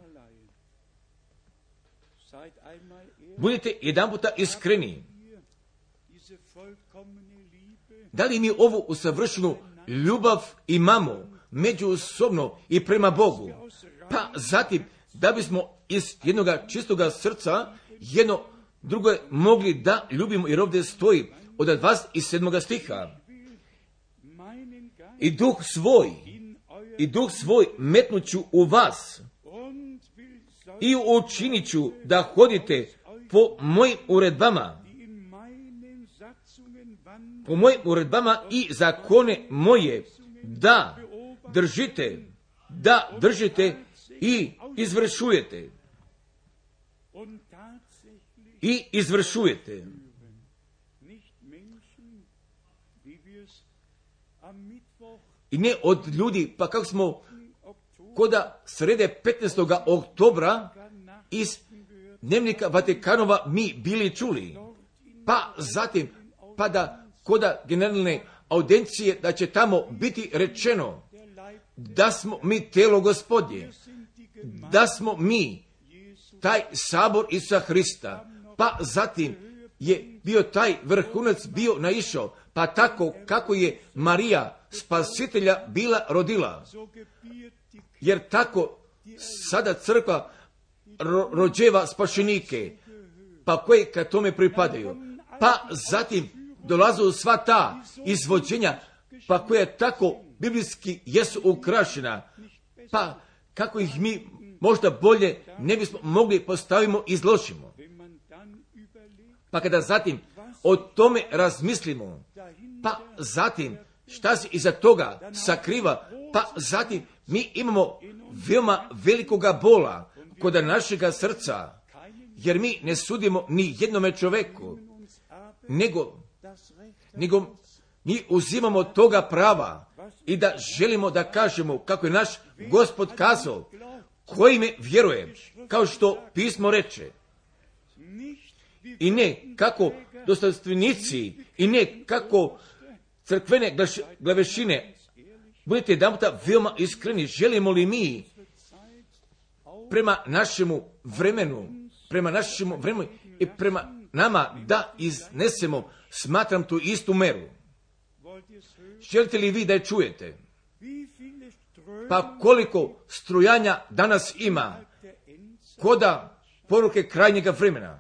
Budite jedan puta iskreni. Da li mi ovu usavršenu ljubav imamo međusobno i prema Bogu? Pa zatim, da bismo iz jednog čistoga srca jedno drugo mogli da ljubimo, jer ovdje stoji od dvadeset sedmog stiha. I duh svoj, i duh svoj metnuću u vas i učinit ću da hodite po mojim uredbama, po mojim uredbama i zakone moje, da držite, da držite i izvršujete. I izvršujete. I ne od ljudi, pa kako smo koda srede petnaestog oktobra iz Dnevnika Vatikanova mi bili čuli. Pa zatim, pa da koda generalne audijencije da će tamo biti rečeno da smo mi telo Gospodnje, da smo mi taj sabor Isusa Hrista. Pa zatim je bio taj vrhunac bio naišao, pa tako kako je Marija spasitelja bila rodila. Jer tako sada crkva ro- rođeva spašenike, pa koje ka tome pripadaju. Pa zatim dolazu sva ta izvođenja, pa koja tako biblijski jesu ukrašena, pa kako ih mi možda bolje ne bismo mogli postavimo i izložimo. Pa kada zatim o tome razmislimo, pa zatim šta se iza toga sakriva, pa zatim mi imamo veoma velikoga bola kod našega srca, jer mi ne sudimo ni jednome čoveku, nego, nego mi uzimamo toga prava i da želimo da kažemo kako je naš Gospod kazao, koji me vjeruje, kao što pismo reče. I ne kako dostojanstvenici, i ne kako crkvene glavešine. Budite jedan puta veoma iskreni, želimo li mi prema našemu vremenu, prema našemu vremenu i prema nama da iznesemo, smatram tu istu meru. Želite li vi da je čujete? Pa koliko strujanja danas ima koda poruke krajnjega vremena?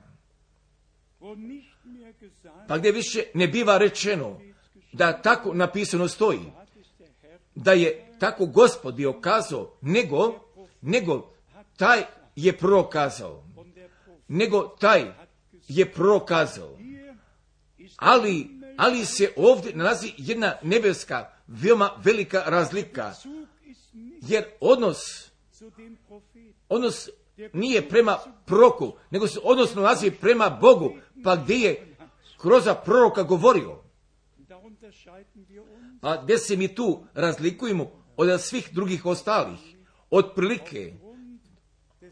Pa gdje više ne biva rečeno da tako napisano stoji, da je tako Gospod bio kazao, nego, nego taj je prokazao, nego taj je prokazao. Ali, ali se ovdje nalazi jedna nebeska, veoma velika razlika, jer odnos, odnos nije prema proroku, nego se odnos nalazi prema Bogu, pa gdje je kroz proroka govorio. A gdje se mi tu razlikujemo od svih drugih ostalih, od prilike,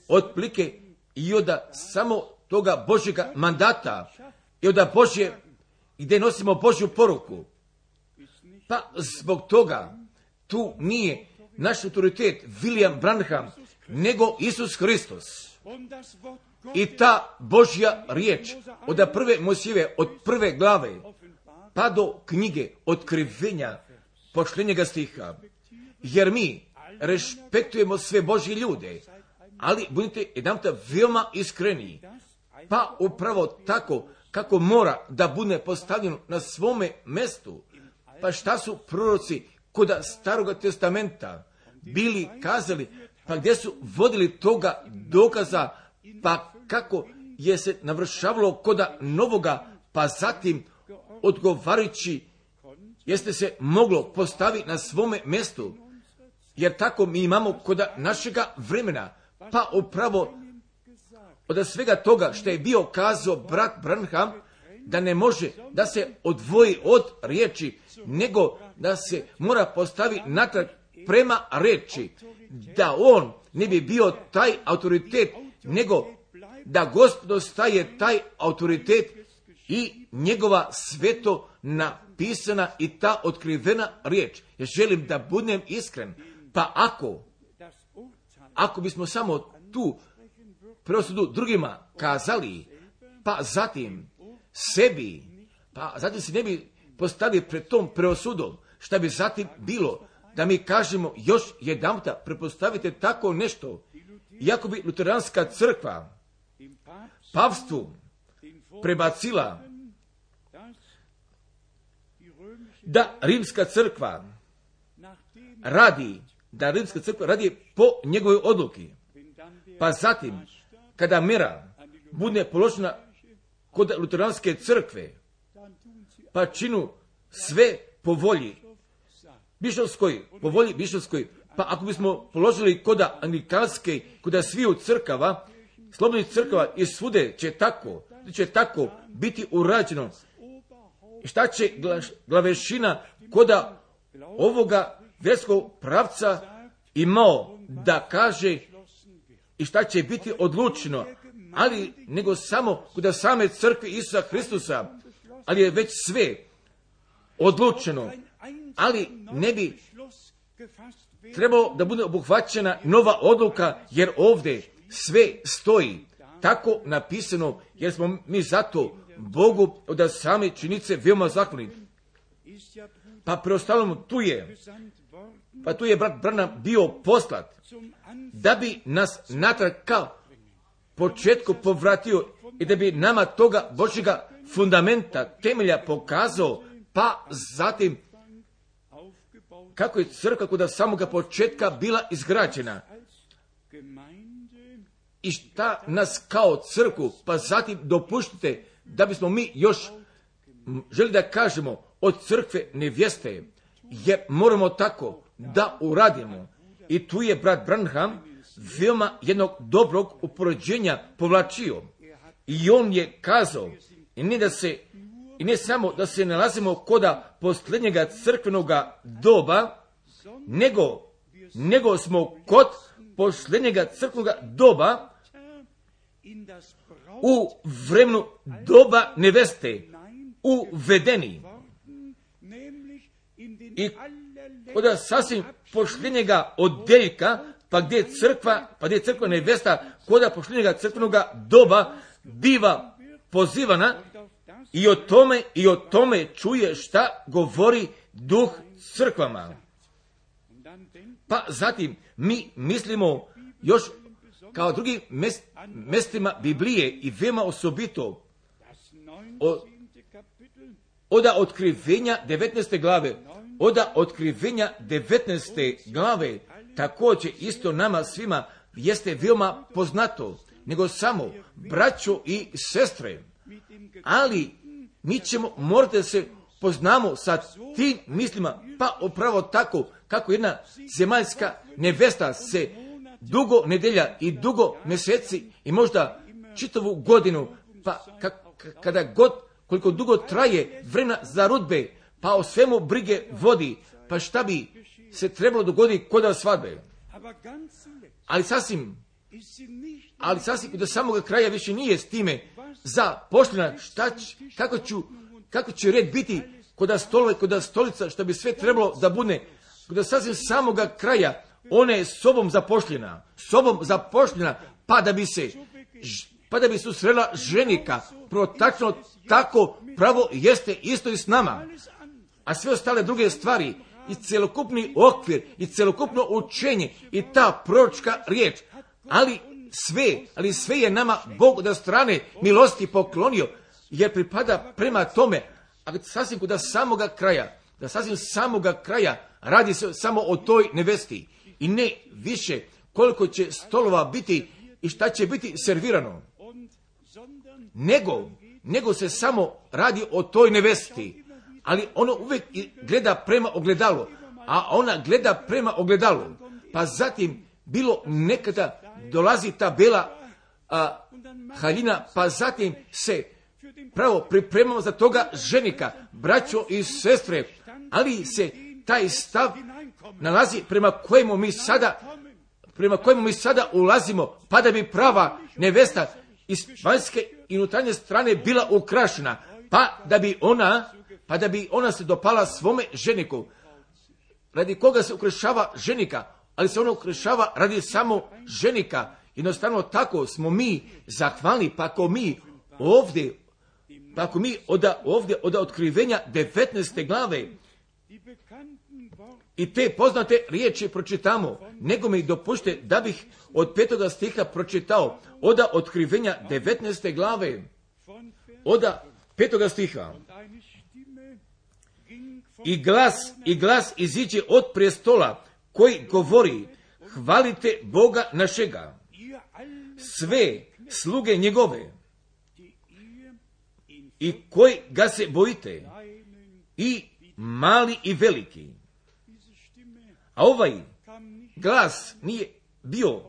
od prilike i od samo toga Božjega mandata i od Božje, gdje nosimo Božju poruku. Pa zbog toga tu nije naš autoritet William Branham, nego Isus Hristos. I ta Božja riječ od prve Mojsijeve, od prve glave, pa do knjige Otkrivenja, posljednjega stiha. Jer mi respektujemo sve Božje ljude, ali budite jedanputa veoma iskreni, pa upravo tako kako mora da bude postavljeno na svome mjestu. Pa šta su proroci kod Staroga testamenta bili kazali, pa gdje su vodili toga dokaza, pa kako je se navršavalo kod Novoga, pa zatim odgovarajući jeste se moglo postaviti na svome mjestu, jer tako mi imamo kod našega vremena, pa upravo od svega toga što je bio kazao brat Branham, da ne može da se odvoji od riječi, nego da se mora postaviti natrag prema riječi, da on ne bi bio taj autoritet, nego da Gospod staje taj autoritet i njegova sveto napisana i ta otkrivena riječ. Ja želim da budem iskren, pa ako, ako bismo samo tu preosudu drugima kazali, pa zatim sebi, pa zatim se ne bi postavili pred tom preosudom, šta bi zatim bilo, da mi kažemo još jedanputa, prepostavite tako nešto, iako bi luteranska crkva pavstvu prebacila da rimska crkva radi, da rimska crkva radi po njegovoj odluki, pa zatim kada mera bude položena kod luteranske crkve, pa činu sve po volji bišovskoj, po volji bišovskoj, pa ako bismo položili kod anglikanske, kod sviju crkava, slobodnih crkava i svude će tako, će tako biti urađeno. Šta će glavešina kod ovoga vjerskog pravca imao da kaže i šta će biti odlučeno, ali nego samo kod same crkve Isusa Hristusa, ali je već sve odlučeno, ali ne bi trebalo da bude obuhvaćena nova odluka, jer ovdje sve stoji tako napisano, jer smo mi zato Bogu od same činice veoma zahvalni. Pa preostalom tu je, pa tu je brat Branham bio poslat, da bi nas natrag ka početku povratio i da bi nama toga Božjega fundamenta, temelja pokazao, pa zatim kako je crkva kod samoga početka bila izgrađena i šta nas kao crkvu, pa zatim dopuštite da bismo mi još želi da kažemo od crkve nevjeste, jer moramo tako da uradimo. I tu je brat Branham veoma jednog dobrog upoređenja povlačio. I on je kazao, i ne, da se, i ne samo da se nalazimo koda posljednjega crkvenoga doba, nego, nego smo kod posljednjega crkvenoga doba u vremenu doba neveste uvedeni. I kod sasvim posljednjega odeljka, pa gdje crkva, pa gdje crkva nevesta, kod posljednjega crkvenoga doba biva pozivana i o tome, i o tome čuje šta govori duh crkvama. Pa zatim mi mislimo još kao drugim mest, mestima Biblije i veoma osobito od, od otkrivenja devetnaeste glave, od otkrivenja devetnaeste glave, također isto nama svima jeste veoma poznato, nego samo braćo i sestre, ali mi ćemo morati da se poznamo sa tim mislima, pa upravo tako kako jedna zemaljska nevesta se dugo nedelja i dugo mjeseci i možda čitavu godinu, pa ka, ka, kada god, koliko dugo traje vremena za rudbe, pa o svemu brige vodi, pa šta bi se trebalo dogoditi kod svadbe. Ali sasvim, ali sasvim do samoga kraja više nije s time zaposlena, šta će, kako ću, kako će red biti kod stolove, kod stolica, što bi sve trebalo da bude do sasvim samoga kraja, ona je sobom zapošljena, sobom zapošljena, pa da bi se, pa da bi susrela ženika, protačno tako pravo jeste isto i s nama. A sve ostale druge stvari, i celokupni okvir, i celokupno učenje, i ta proročka riječ, ali sve, ali sve je nama Bog da strane milosti poklonio, jer pripada prema tome, a sasvim da samoga kraja, da sasvim samoga kraja radi se samo o toj nevesti i ne više koliko će stolova biti i šta će biti servirano, nego, nego se samo radi o toj nevesti, ali ono uvijek gleda prema ogledalu, a ona gleda prema ogledalu, pa zatim bilo nekada dolazi ta bela a, haljina, pa zatim se pravo pripremamo za toga ženika, braćo i sestre, ali se taj stav nalazi prema kojemu mi sada, prema kojemu mi sada ulazimo, pa da bi prava nevesta iz vanjske i unutarnje strane bila ukrašena, pa da bi ona, pa da bi ona se dopala svome ženiku. Radi koga se ukrašava ženika, ali se ona ukrašava radi samo ženika. Jednostavno tako smo mi zahvalni, pa ako mi ovdje, pa ako mi od ovdje od otkrivenja devetnaeste glave i te poznate riječi pročitamo, nego mi dopušte da bih od petoga stiha pročitao od otkrivenja devetnaeste glave, od petoga stiha. I glas, i glas iziđe od prestola koji govori, hvalite Boga našega, sve sluge njegove, i koji ga se bojite, i mali i veliki. A ovaj glas nije bio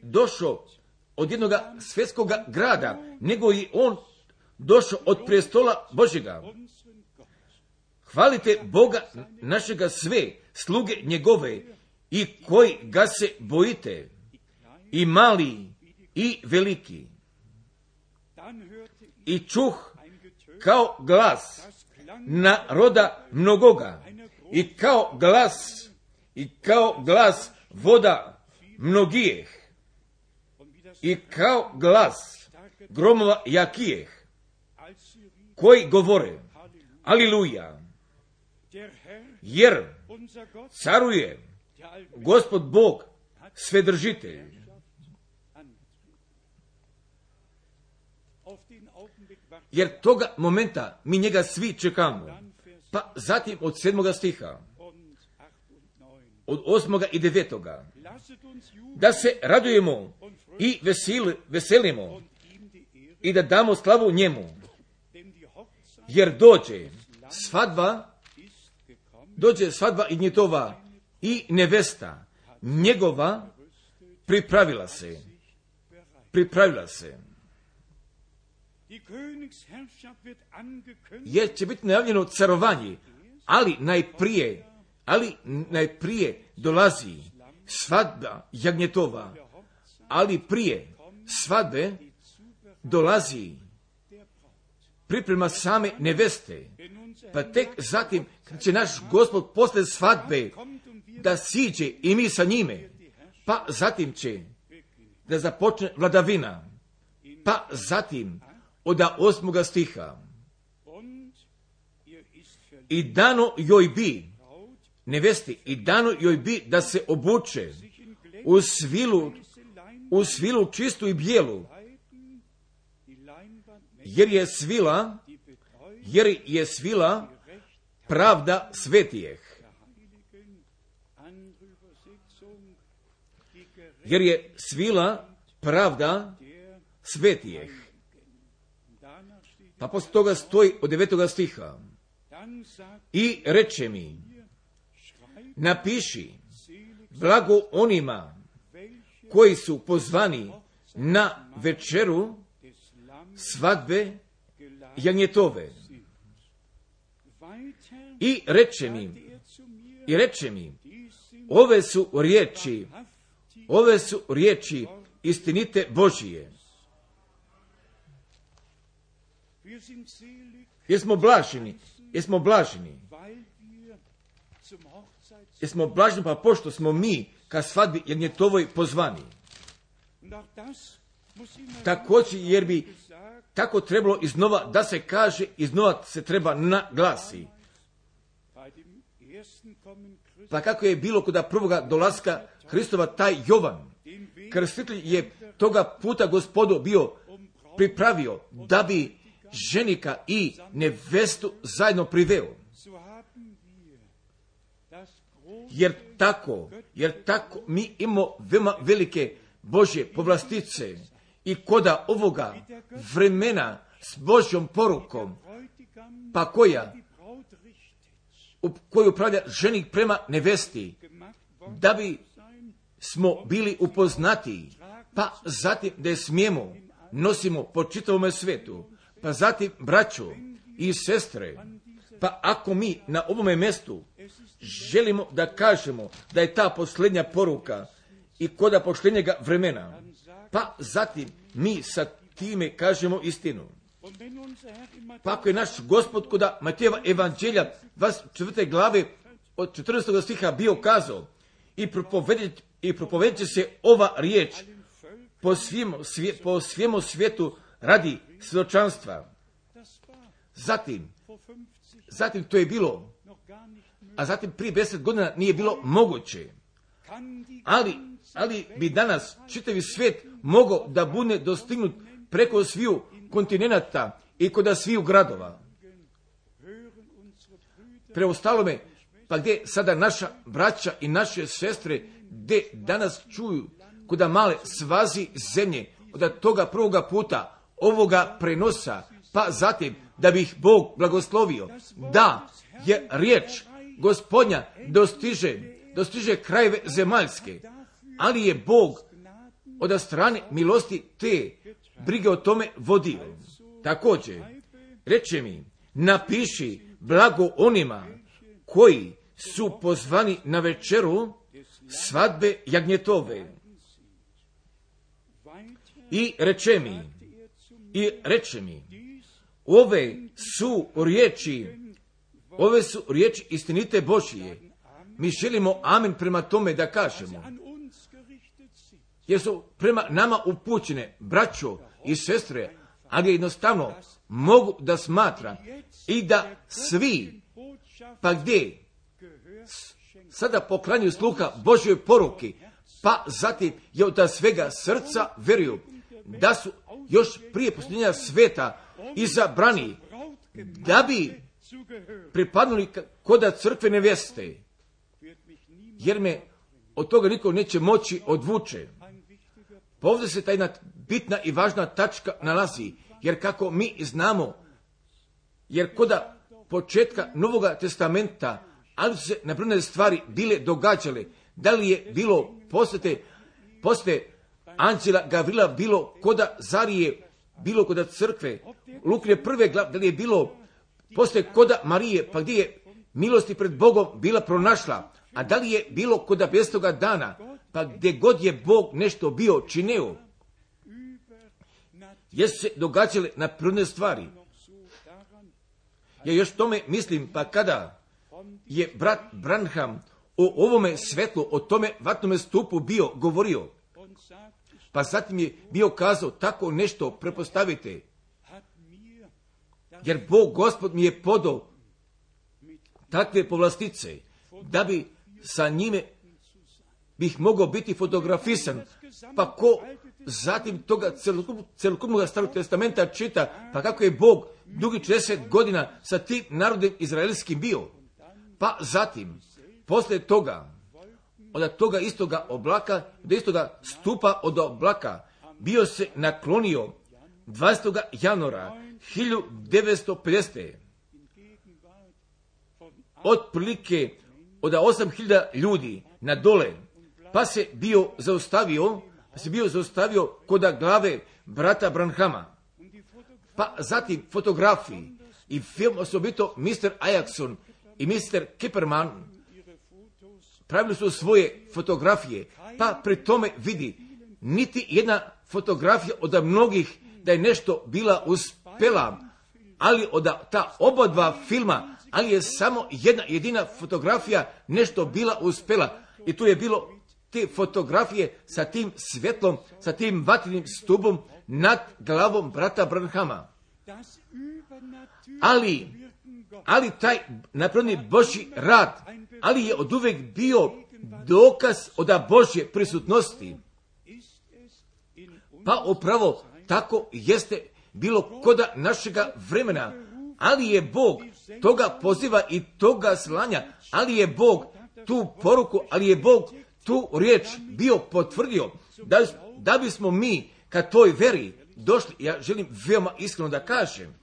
došao od jednog svjetskog grada, nego i on došao od prestola Božjega. Hvalite Boga našega sve, sluge njegove, i koji ga se bojite, i mali i veliki. I čuh kao glas naroda mnogoga, i kao glas, i kao glas voda mnogijeh, i kao glas gromova jakijeh, koji govore, aliluja, jer caruje Gospod Bog svedržitelj. Jer toga momenta mi njega svi čekamo. Pa zatim od sedmoga stiha, od osmoga i devetoga, da se radujemo i vesil, veselimo i da damo slavu njemu, jer dođe svadba, dođe svadba i njitova i nevesta njegova pripravila se, pripravila se. Jer će biti najavljeno carovanje, ali najprije, ali najprije dolazi svadba jagnjetova, ali prije svadbe dolazi priprema same neveste, pa tek zatim će naš Gospod posle svadbe da siđe i mi sa njime, pa zatim će da započne vladavina, pa zatim od osmoga stiha, i dano joj bi, nevesti, i dano joj bi da se obuče u svilu, u svilu čistu i bijelu, jer je svila, jer je svila pravda svetijeh. Jer je svila pravda svetijeh. Pa poslije toga stoji od devetoga stiha. I reče mi, napiši, blago onima koji su pozvani na večeru svadbe jagnjetove. I reče mi, i reče mi, ove su riječi, ove su riječi istinite Božije. Jesmo blaženi, jesmo blaženi, jer smo blažni, pa pošto smo mi ka svadbi jagnjetovoj pozvani. Također, jer bi tako trebalo iznova da se kaže, iznova se treba naglasi. Pa kako je bilo kod prvoga dolaska Hristova, taj Jovan, krstitelj, je toga puta Gospodu bio pripravio da bi ženika i nevestu zajedno priveo. Jer tako, jer tako mi imamo veoma velike Božje povlastice i koda ovoga vremena s Božjom porukom, pa koja u koju upravlja ženik prema nevesti, da bi smo bili upoznati, pa zatim da je smijemo nosimo po čitavome svijetu, pa zatim braćo i sestre, pa ako mi na ovome mjestu želimo da kažemo da je ta posljednja poruka i koda posljednjega vremena, pa zatim mi sa time kažemo istinu. Pa ako je naš Gospod koda Matejeva evanđelja dvadeset četvrte glave od četrnaestog stiha bio kazao i propovedit, i propovedit će se ova riječ po svijemu, svije, po svijemu svijetu radi svjedočanstva. Zatim, zatim to je bilo, a zatim prije deset godina nije bilo moguće. Ali, ali bi danas čitavi svijet mogao da bude dostignut preko sviju kontinenata i kod sviju gradova. Preostalome, pa gdje sada naša braća i naše sestre, gdje danas čuju kod male svazi zemlje, od toga prvoga puta, ovoga prenosa, pa zatim da bi ih Bog blagoslovio, da je riječ Gospodnja dostiže, dostiže krajeve zemaljske, ali je Bog od strane milosti te brige o tome vodio. Također, reče mi, napiši blago onima koji su pozvani na večeru svadbe jagnjetove. I reče mi, i reče mi, ove su riječi, ove su riječi istinite Božije. Mi želimo amen prema tome da kažemo. Jer su prema nama upućene braćo i sestre, ali jednostavno mogu da smatra i da svi, pa gdje sada poklanjuju sluha Božjoj poruki, pa zatim je od svega srca vjeruju da su još prije posljednja sveta izabrani da bi pripadnuli koda crkve neveste, jer me od toga niko neće moći odvuče. Pa ovdje se ta jedna bitna i važna tačka nalazi, jer kako mi znamo, jer koda početka Novoga testamenta, ali su se nabrojane stvari bile događale, da li je bilo posjete, posjete anđela Gavrila, bilo koda Zarije, bilo koda crkve, Lukine prve glave, da li je bilo poslije koda Marije, pa gdje je milosti pred Bogom bila pronašla, a da li je bilo koda bestoga dana, pa gdje god je Bog nešto bio činio, jesu se događale na prirodne stvari. Ja još tome mislim, pa kada je brat Branham o ovome svetlu, o tome vatnome stupu bio govorio, pa zatim je bio kazao tako nešto prepostavite, jer Bog Gospod mi je podao takve povlastice, da bi sa njime bih mogao biti fotografisan, pa ko zatim toga celokupnog starog testamenta čita, pa kako je Bog dugi četrdeset godina sa tim narodom izraelskim bio, pa zatim, poslije toga, od toga istoga oblaka, do istoga stupa od oblaka, bio se naklonio dvadesetog januara hiljadu devetsto pedesete. Otprilike od osam hiljada ljudi na dole, pa se bio zaustavio, pa se bio zaustavio koda glave brata Branhama. Pa zatim fotografiji i film, osobito mister Ajaxson i mister Kipperman pravili su svoje fotografije, pa pri tome vidi niti jedna fotografija od mnogih da je nešto bila uspela, ali od ta oba dva filma, ali je samo jedna jedina fotografija nešto bila uspjela. I tu je bilo te fotografije sa tim svjetlom, sa tim vatrenim stubom nad glavom brata Branhama. Ali, ali taj napravljeni Božji rad, ali je oduvijek bio dokaz od Božje prisutnosti. Pa upravo tako jeste bilo koda našega vremena, ali je Bog toga poziva i toga slanja, ali je Bog tu poruku, ali je Bog tu riječ bio potvrdio, da, da bismo mi ka toj veri došli. Ja želim veoma iskreno da kažem,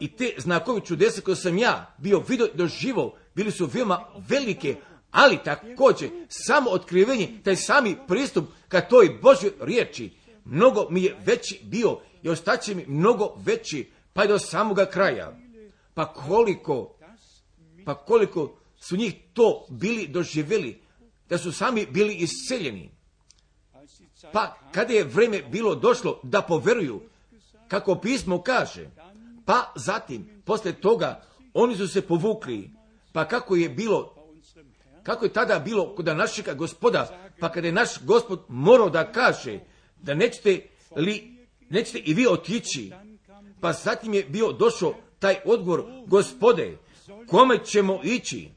i te znakovi čudesa koje sam ja bio vidio doživio, bili su veoma velike, ali također samo otkrivenje, taj sami pristup ka toj Božjoj riječi, mnogo mi je veći bio i ostaće mi mnogo veći, pa i do samoga kraja. Pa koliko, pa koliko su njih to bili doživjeli, da su sami bili isceljeni. Pa kada je vrijeme bilo došlo da poveruju, kako pismo kaže, pa zatim, poslije toga, oni su se povukli, pa kako je bilo, kako je tada bilo kod našega Gospoda, pa kada je naš Gospod morao da kaže, da nećete li, nećete i vi otići, pa zatim je bio došao taj odgovor, Gospode, kome ćemo ići?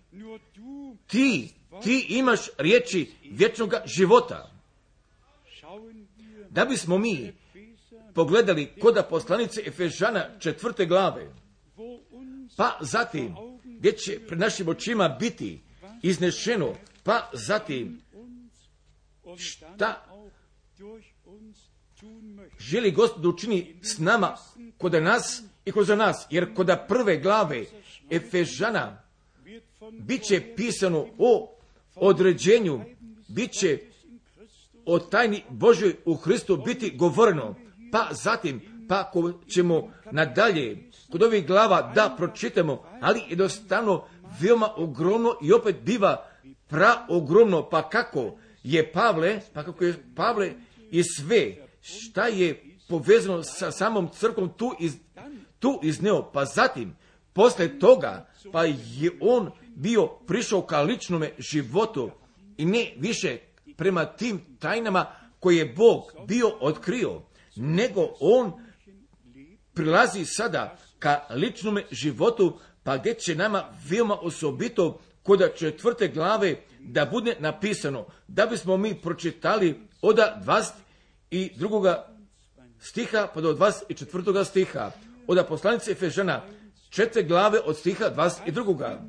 Ti, ti imaš riječi vječnog života. Da bismo mi pogledali koda poslanice Efežana četvrte glave, pa zatim, gdje će pred našim očima biti iznešeno, pa zatim, šta želi Gospod učini s nama, koda nas i kroz nas, jer koda prve glave Efežana bit će pisano o određenju, bit će o tajni Božoj u Hristu biti govoreno, pa zatim, pa ako ćemo nadalje kod ovih glava da pročitamo, ali jednostavno veoma ogromno i opet biva praogromno, pa kako je Pavle, pa kako je Pavle i sve, šta je povezano sa samom crkvom tu, iz, tu izneo, pa zatim, posle toga, pa je on bio prišao ka ličnome životu i ne više prema tim tajnama koje je Bog bio otkrio, nego on prilazi sada ka ličnome životu, pa gdje će nama veoma osobito kod četvrte glave da bude napisano, da bismo mi pročitali od dvadeset drugoga stiha pa do dvadeset četvrtoga stiha, od poslanice Efežana četvrte glave od stiha dvadeset drugoga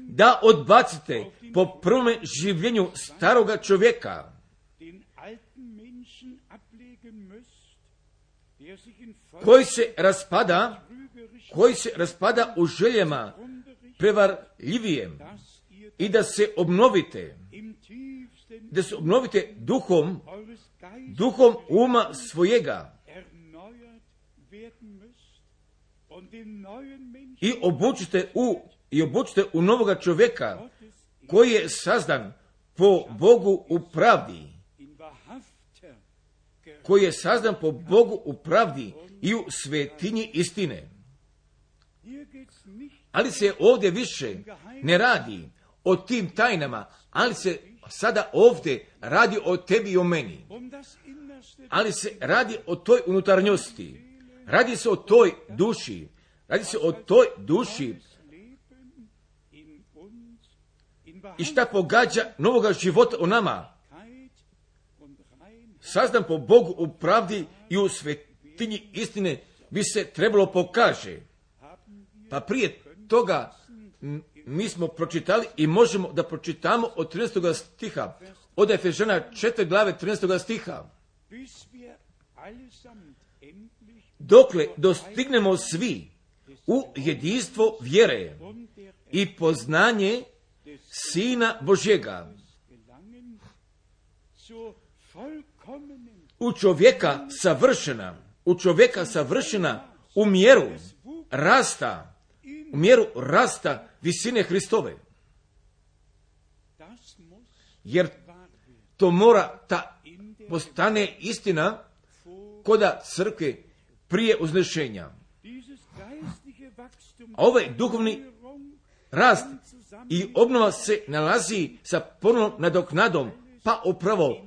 Da odbacite po prvome življenju staroga čovjeka, koji se raspada, koji se raspada u željama prevarljivijem, i da se obnovite, da se obnovite duhom, duhom uma svojega i obučite u, i obučite u novoga čovjeka koji je sazdan po Bogu u pravdi, koji je sazdan po Bogu u pravdi i u svetinji istine. Ali se ovdje više ne radi o tim tajnama, ali se sada ovdje radi o tebi i o meni. Ali se radi o toj unutarnjosti, radi se o toj duši, radi se o toj duši i šta pogađa novoga života u nama. Sazdan po Bogu u pravdi i u svetinji istine bi se trebalo pokaže. Pa prije toga mi smo pročitali i možemo da pročitamo od trinaestog stiha, od Efežana četvrte glave trinaestog stiha. Dokle dostignemo svi u jedinstvo vjere i poznanje Sina Božjega, u čovjeka savršena, u čovjeka savršena u mjeru rasta, u mjeru rasta visine Hristove. Jer to mora ta postane istina koda crkve prije uznešenja. A ovaj duhovni rast i obnova se nalazi sa ponovnom nadoknadom, pa upravo,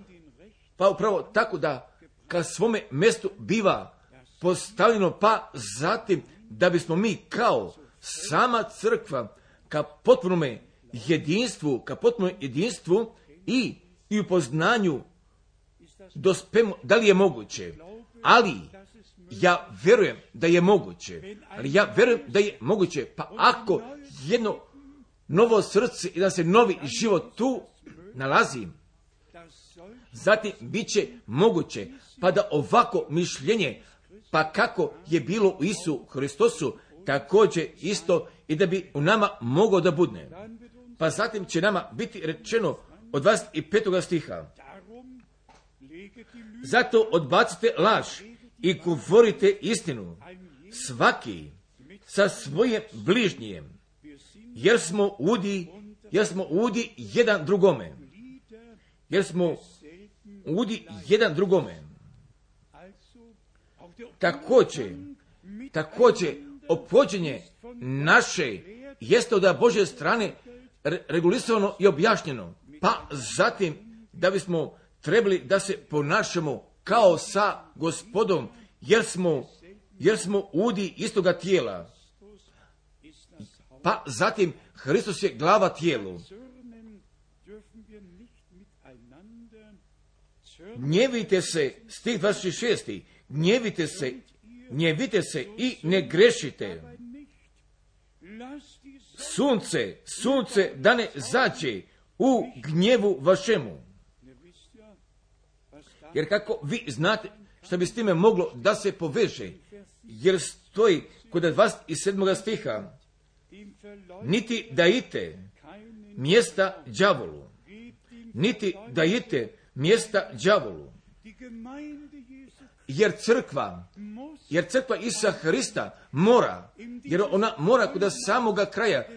pa upravo tako da ka svome mjestu biva postavljeno, pa zatim da bismo mi kao sama crkva ka potpunome jedinstvu, ka potpunom jedinstvu i, i u poznanju dospemo, da li je moguće, ali ja vjerujem da je moguće, ali ja vjerujem da je moguće, pa ako jedno novo srce i da se novi život tu nalazi, zatim bit će moguće, pa da ovako mišljenje, pa kako je bilo u Isu Hristosu, također isto i da bi u nama moglo da budne. Pa zatim će nama biti rečeno od dvadeset petog stiha. Zato odbacite laž i govorite istinu, svaki sa svojim bližnjijem, jer smo udi, jer smo udi jedan drugome, jer smo udi jedan drugome. Također, također, ophođenje naše jeste od Božje strane regulisano i objašnjeno, pa zatim da bismo trebali da se ponašamo kao sa Gospodom, jer smo, jer smo udi istoga tijela. Pa zatim Hristos je glava tijelu. Gnjevite se, stih dvadeset šest. Gnjevite se, gnjevite se i ne grešite. Sunce, sunce da ne zađe u gnjevu vašemu. Jer kako vi znate što bi s time moglo da se poveže, jer stoji kod dvadeset sedmog stiha, niti dajite mjesta đavolu, niti dajite mjesta đavolu. Jer crkva, jer crkva Isusa Hrista mora, jer ona mora kod samoga kraja,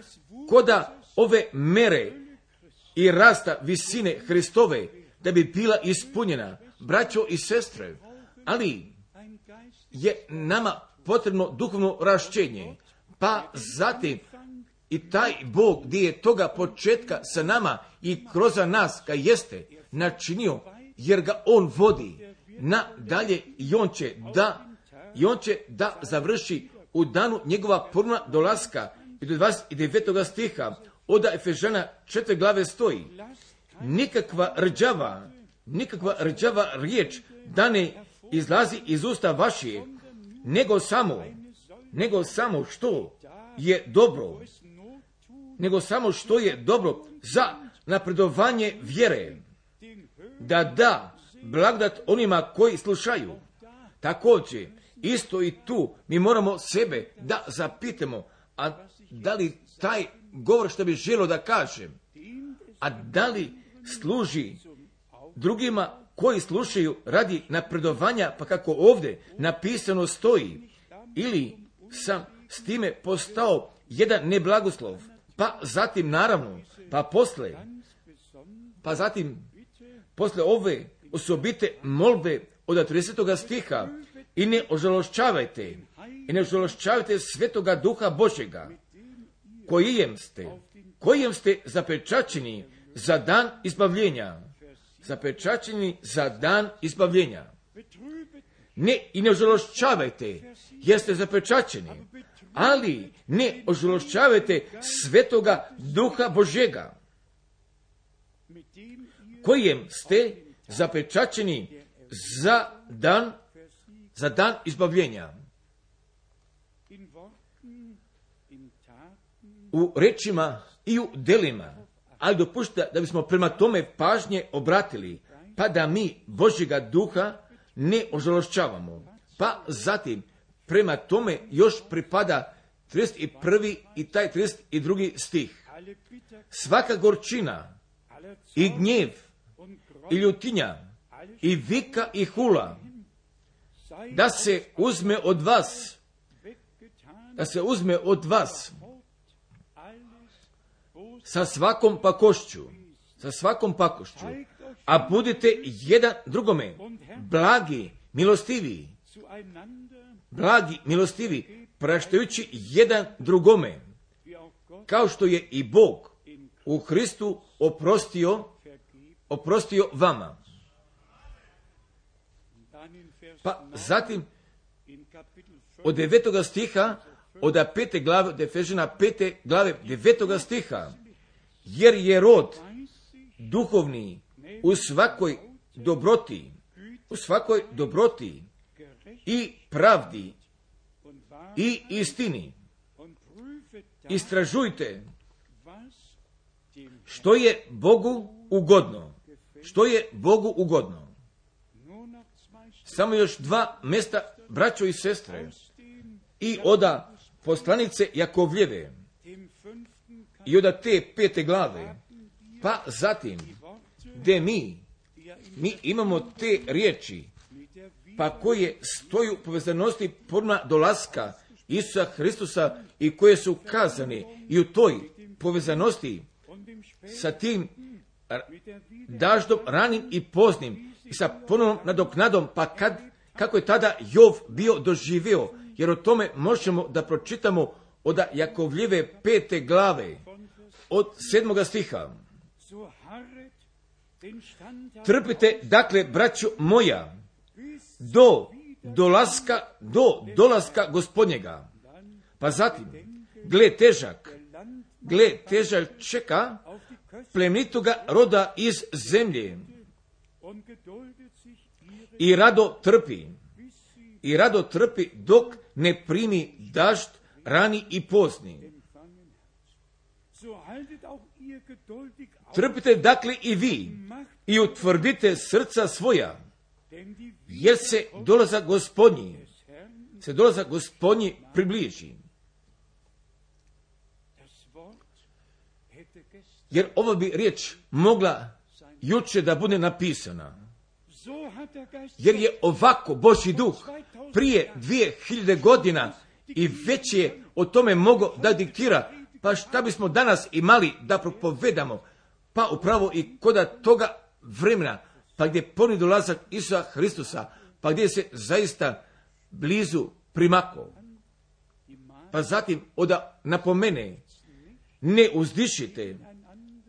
koda ove mere i rasta visine Hristove, da bi bila ispunjena, braćo i sestre, ali je nama potrebno duhovno raščenje, pa zatim i taj Bog gdje je toga početka sa nama i kroz nas ga jeste načinio, jer ga on vodi nadalje i on će da i on će da završi u danu njegova puna dolaska. I do dvadeset devetog stiha od Efežana četiri glave stoji, nikakva rđava, nikakva rđava riječ da ne izlazi iz usta vaših, nego samo, nego samo što je dobro, nego samo što je dobro za napredovanje vjere, da da blagodat onima koji slušaju. Također, isto i tu mi moramo sebe da zapitamo, a da li taj govor što bi želio da kažem, a da li služi drugima koji slušaju radi napredovanja, pa kako ovdje napisano stoji, ili sam s time postao jedan neblagoslov, pa zatim naravno, pa posle, pa zatim posle ove osobite molbe od tridesetog stiha, i ne ožalošćavajte, i ne ožalošćavajte svetoga duha Božjega, kojem ste, kojem ste zapečaćeni za dan izbavljenja, zapečaćeni za dan izbavljenja. Ne, i ne ožalošćavajte, jer ste zapečaćeni, ali ne ožalošćavajte svetoga duha Božjega, kojem ste zapečaćeni za dan, za dan izbavljenja. U rečima i u delima, ali dopušta da bismo prema tome pažnje obratili, pa da mi Božjega duha ne ožalošćavamo. Pa zatim, prema tome još pripada trideset prvi i taj trideset drugi stih. Svaka gorčina i gnjev i ljutinja i vika i hula da se uzme od vas, da se uzme od vas sa svakom pakošću, sa svakom pakošću, a budite jedan drugome blagi, milostivi, blagi, milostivi, praštajući jedan drugome, kao što je i Bog u Hristu oprostio, oprostio vama. Pa zatim od devetoga stiha, od pete glave, od Efežana pete glave, devetoga stiha, jer je rod duhovni u svakoj dobroti, u svakoj dobroti i pravdi i istini. Istražujte što je Bogu ugodno. Što je Bogu ugodno. Samo još dva mjesta, braćo i sestre, i oda poslanice Jakovljeve, i oda te pete glave, pa zatim, gdje mi, mi imamo te riječi, pa koje stoju u povezanosti podma dolaska Isusa Hristusa i koje su kazane i u toj povezanosti sa tim daždom ranim i poznim i sa ponovnom nadoknadom, pa kad, kako je tada Jov bio doživio, jer o tome možemo da pročitamo od Jakovljeve pete glave, od sedmoga stiha. Trpite, dakle, braćo moja, do dolaska, do dolaska Gospodnjega. Pa zatim, gle težak, gle težak čeka plemenitoga roda iz zemlje i rado trpi, i rado trpi dok ne primi dažd rani i pozni. Trpite dakle i vi i utvrdite srca svoja, jer se dolazak Gospodnji, se dolazak Gospodnji približi. Jer ova bi riječ mogla juče da bude napisana. Jer je ovako Božji duh prije dvije hiljade godina i već je o tome mogao da diktira. Pa šta bismo danas imali da propovedamo? Pa upravo i koda toga vremena, pa gdje ponovni dolazak Isusa Hristusa, pa gdje se zaista blizu primako. Pa zatim oda napomene, ne uzdišite,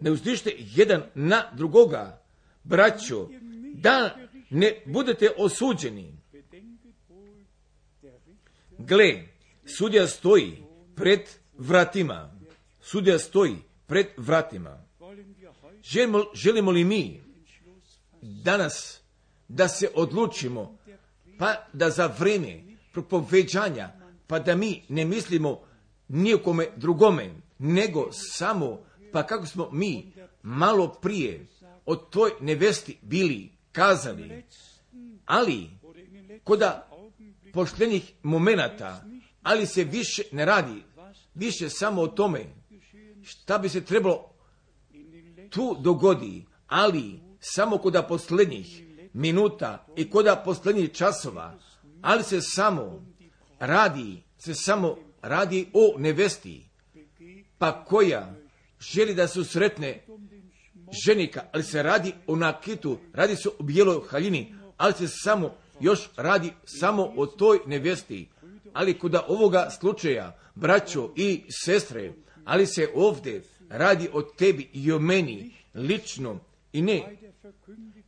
ne uzdišite jedan na drugoga, braćo, da ne budete osuđeni. Gle, sudija stoji pred vratima. Sudija stoji pred vratima. Želimo, želimo li mi danas da se odlučimo, pa da za vrijeme propoveđanja, pa da mi ne mislimo nijekome drugome, nego samo, pa kako smo mi malo prije o toj nevesti bili kazali, ali koda poštenih momenata, ali se više ne radi, više samo o tome šta bi se trebalo tu dogodi, ali samo koda posljednjih minuta i koda posljednjih časova, ali se samo radi, se samo radi o nevesti, pa koja želi da se usretne ženika, ali se radi o nakitu, radi se o bijeloj haljini, ali se samo još radi samo o toj nevesti. Ali kod ovoga slučaja, braćo i sestre, ali se ovdje radi o tebi i o meni lično i ne,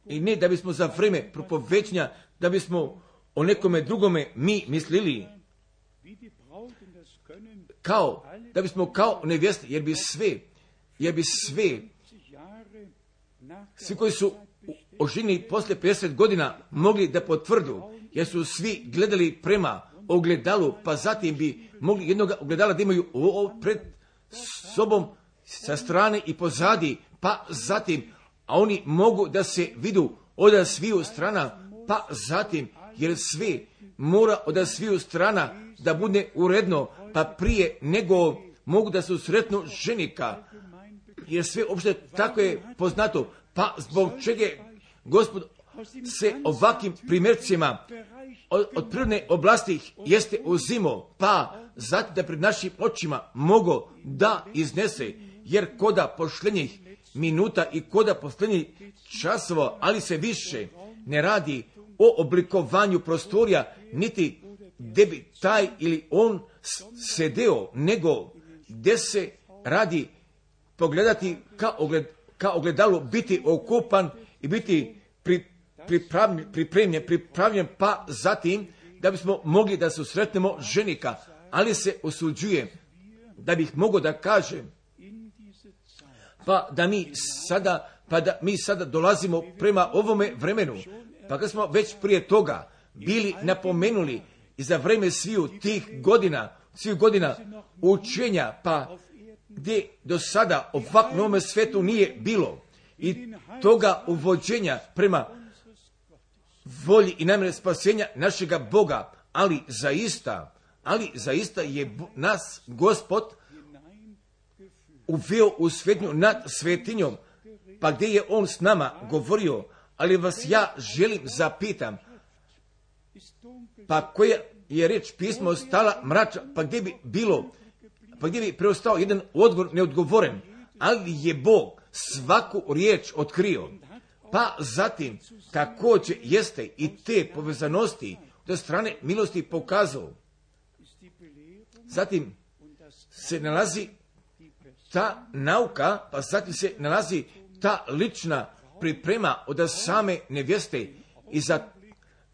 i ne da bismo za vrijeme propovećanja, da bismo o nekome drugome mi mislili kao, da bismo kao nevjeste, jer bi sve, jer bi sve, svi koji su oženjeni poslije pedeset godina mogli da potvrdu, jer su svi gledali prema ogledalu, pa zatim bi mogli jednog ogledala da imaju pred sobom sa strane i pozadi, pa zatim, a oni mogu da se vidu od sviju strana, pa zatim, jer sve mora od sviju strana da bude uredno, pa prije nego mogu da se usretnu ženika, jer sve uopšte tako je poznato, pa zbog čega Gospod se ovakvim primjercima od, od prirodne oblasti jeste uzimo, pa zato da pred našim očima mogo da iznese, jer koda posljednjih minuta i koda posljednjih časova, ali se više ne radi o oblikovanju prostorija, niti gdje bi taj ili on sedeo, nego gdje se radi pogledati ka, ogled, ka ogledalu, biti okupan i biti pri, pripravljen, pripremljen, pripravljen, pa zatim da bismo mogli da se susretnemo ženika, ali se osuđuje da bih mogao da kažem, pa da mi sada, pa da mi sada dolazimo prema ovome vremenu, pa kad smo već prije toga bili napomenuli i za vreme sviju tih godina, svih godina učenja, pa gdje do sada ovak novome svetu nije bilo i toga uvođenja prema volji i namjeri spasenja našega Boga, ali zaista, ali zaista je nas Gospod uveo u svetnju nad svetinjom, pa gdje je on s nama govorio, ali vas ja želim zapitam, pa koja je reč pismo stala mrača, pa gdje bi bilo, pa gdje bi preostao jedan odgovor neodgovoren, ali je Bog svaku riječ otkrio, pa zatim također jeste i te povezanosti od strane milosti pokazao. Zatim se nalazi ta nauka, pa zatim se nalazi ta lična priprema od same nevjeste i za,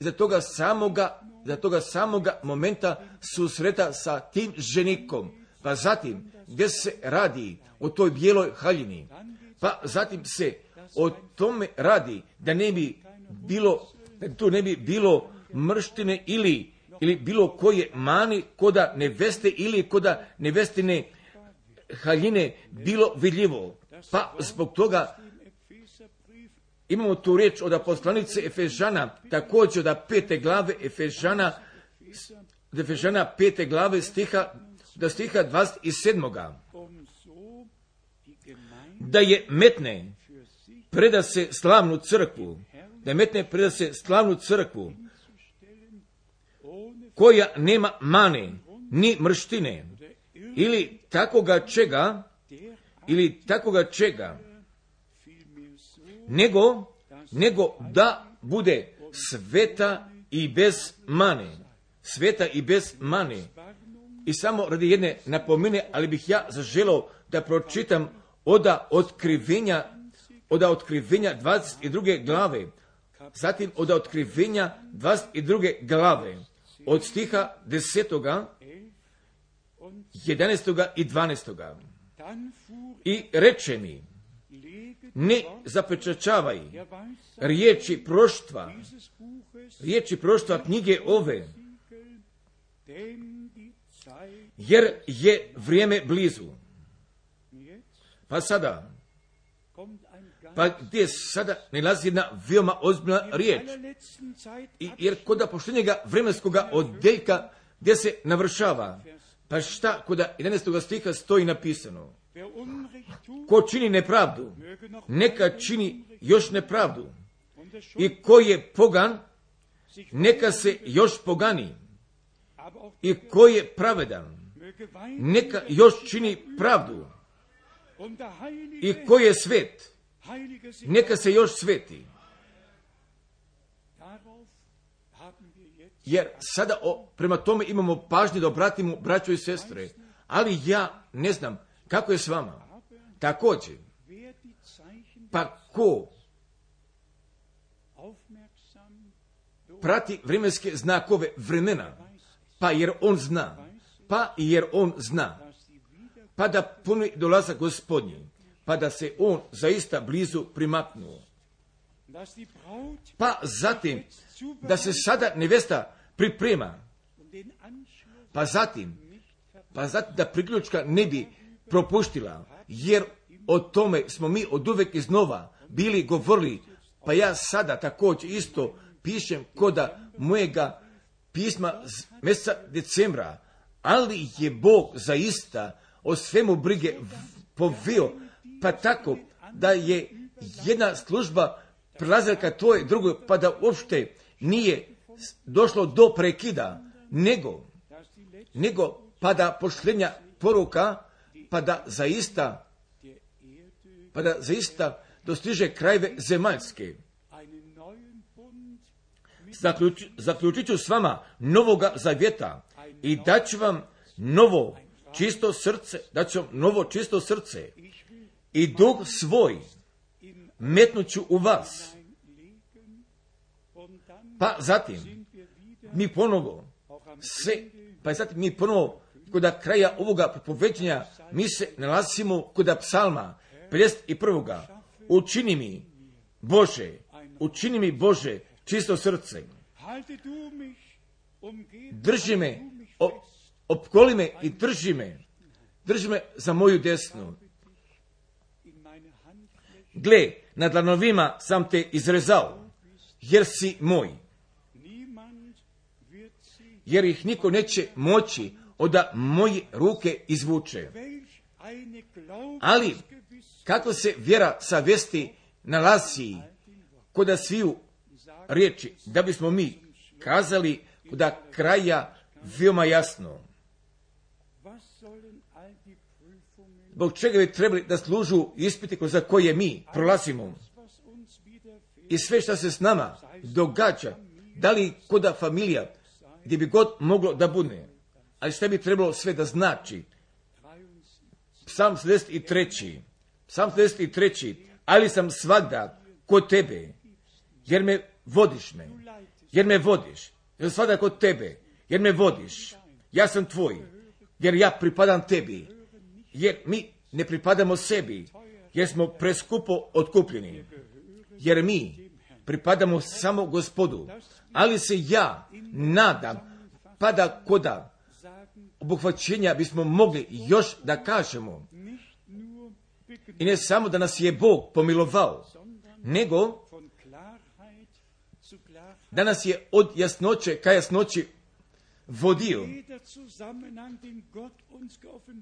za toga samoga, za toga samoga momenta susreta sa tim ženikom, pa zatim gdje se radi o toj bijeloj haljini, pa zatim se o tome radi da ne bi bilo, da tu ne bi bilo mrštine ili, ili bilo koje mani koda neveste ili koda nevestine haljine bilo vidljivo. Pa zbog toga imamo tu riječ od poslanice Efežana, također od pete glave Efežana, od Efežana pete glave stiha, do stiha dvadeset sedam. Da je metne preda se slavnu crkvu, da je metne preda se slavnu crkvu, koja nema mane, ni mrštine, ili takoga čega, ili takoga čega, nego, nego da bude sveta i bez mane, sveta i bez mane. I samo radi jedne napomene, ali bih ja zaželao da pročitam oda otkrivenja, oda otkrivenja dvadeset druge glave, zatim oda otkrivenja dvadeset druge glave, od stiha desetoga, jedanaestoga i dvanaestoga. I reče mi, ne zapečačavaj riječi proštva, riječi proštva knjige ove, jer je vrijeme blizu. Pa sada, pa gdje sada nalazi jedna veoma ozbiljna riječ. I, jer kod poštenjega vremenskoga oddeljka gdje se navršava, pa šta kod jedanaestog stiha stoji napisano? Ko čini nepravdu, neka čini još nepravdu. I ko je pogan, neka se još pogani. I ko je pravedan, neka još čini pravdu. I ko je svet, neka se još sveti. Jer sada o, prema tome imamo pažnje da obratimo braćo i sestre, ali ja ne znam kako je s vama. Također, pa ko prati vremenske znakove vremena, pa jer on zna, pa jer on zna, pa da puni dolazak Gospodnji, pa da se on zaista blizu primaknuo. Pa zatim, da se sada nevesta priprema, pa zatim, pa zatim da priključka ne bi propuštila, jer o tome smo mi od uvek iznova bili govorili, pa ja sada također isto pišem koda mojega pisma mjeseca decembra, ali je Bog zaista o svemu brige poveo, pa tako da je jedna služba prelazila ka toj drugoj, pa da uopšte nije došlo do prekida, nego, nego pa da pošljenja poruka, pa da zaista, pa da zaista dostiže krajeve zemaljske. Zaključ, zaključit ću s vama novoga zavjeta i daću vam novo čisto srce, daću vam novo čisto srce i duh svoj metnuću u vas. Pa zatim mi ponovo se, pa zatim mi ponovo kod kraja ovoga propoveđenja mi se nalazimo kod psalma pedeset prvog. Učini mi Bože, učini mi Bože čisto srce. Drži me, opkoli me i drži me, drži me za moju desnu. Gle, na dlanovima sam te izrezao, jer si moj. Jer ih niko neće moći od moje ruke izvuče. Ali, kako se vjera savjesti nalazi kod sviju riječi, da bismo mi kazali kod kraja veoma jasno. Zbog čega bi trebali da služu ispiti za koje mi prolazimo. I sve što se s nama događa, da li kod familija, gdje bi god moglo da bude. Ali što bi trebalo sve da znači? Psalm sedamdeset tri. Psalm sedamdeset tri. Ali sam svagda kod tebe, jer me vodiš me, jer me vodiš, jer sam svagda kod tebe, jer me vodiš, ja sam tvoj, jer ja pripadam tebi, jer mi ne pripadamo sebi, jer smo preskupo otkupljeni, jer mi pripadamo samo Gospodu, ali se ja nadam, pa da koda obuhvaćenja bismo mogli još da kažemo, i ne samo da nas je Bog pomilovao, nego da nas je od jasnoće ka jasnoći vodio.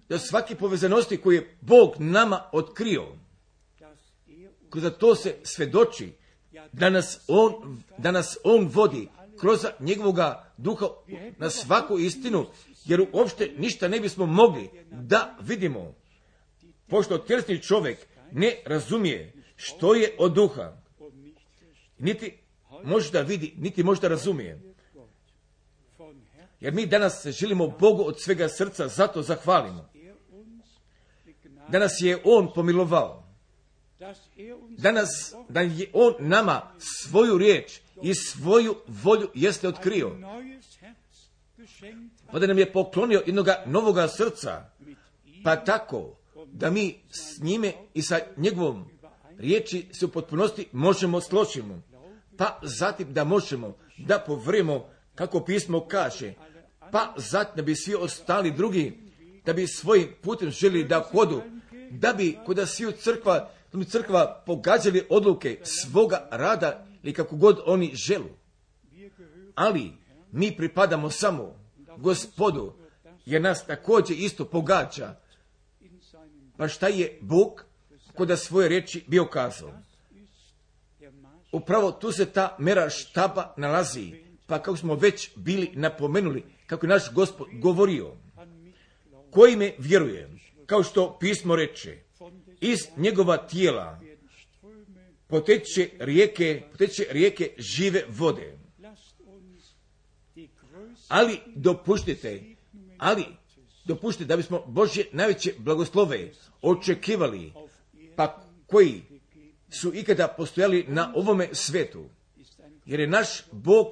Do svake povezanosti koje je Bog nama otkrio, kroz to se svedoči da nas On, da nas on vodi kroz njegovoga duha na svaku istinu, jer uopšte ništa ne bismo mogli da vidimo, pošto tjelesni čovjek ne razumije što je od duha, niti može da vidi, niti može da razumije. Jer mi danas želimo Bogu od svega srca, zato zahvalimo. Da nas je On pomilovao. Danas, da je On nama svoju riječ i svoju volju jeste otkrio. Pa da nam je poklonio jednoga novoga srca, pa tako da mi s njime i sa njegovom riječi se u potpunosti možemo složiti. Pa zatim da možemo da povremo kako pismo kaže, pa zatim da bi svi ostali drugi, da bi svojim putem želi da hodu, da bi kod sviju crkva, da bi crkva pogađali odluke svoga rada ili kako god oni želu. Ali mi pripadamo samo Gospodu, jer nas također isto pogađa. Pa šta je Bog kod svoje riječi bio kazao? Upravo tu se ta mera štaba nalazi, pa kako smo već bili napomenuli, kako je naš Gospod govorio, koji me vjeruje, kao što pismo reče, iz njegova tijela poteče rijeke, poteče rijeke žive vode. Ali dopuštite, ali dopuštite da bismo Božje najveće blagoslove očekivali, pa koji su ikada postojali na ovome svetu. Jer je naš Bog,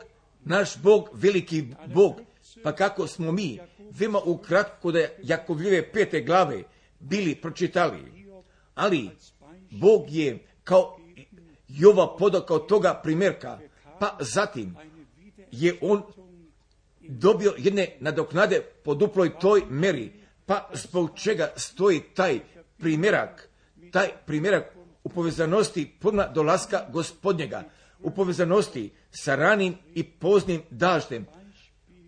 naš Bog veliki Bog, pa kako smo mi veoma ukratko kod Jakovljeve pete glave bili pročitali. Ali Bog je kao Jova podao toga primjerka, pa zatim je on dobio jedne nadoknade po duploj toj meri, pa zbog čega stoji taj primjerak, taj primjerak u povezanosti puna dolaska Gospodnjega, u povezanosti sa ranim i poznim daždem,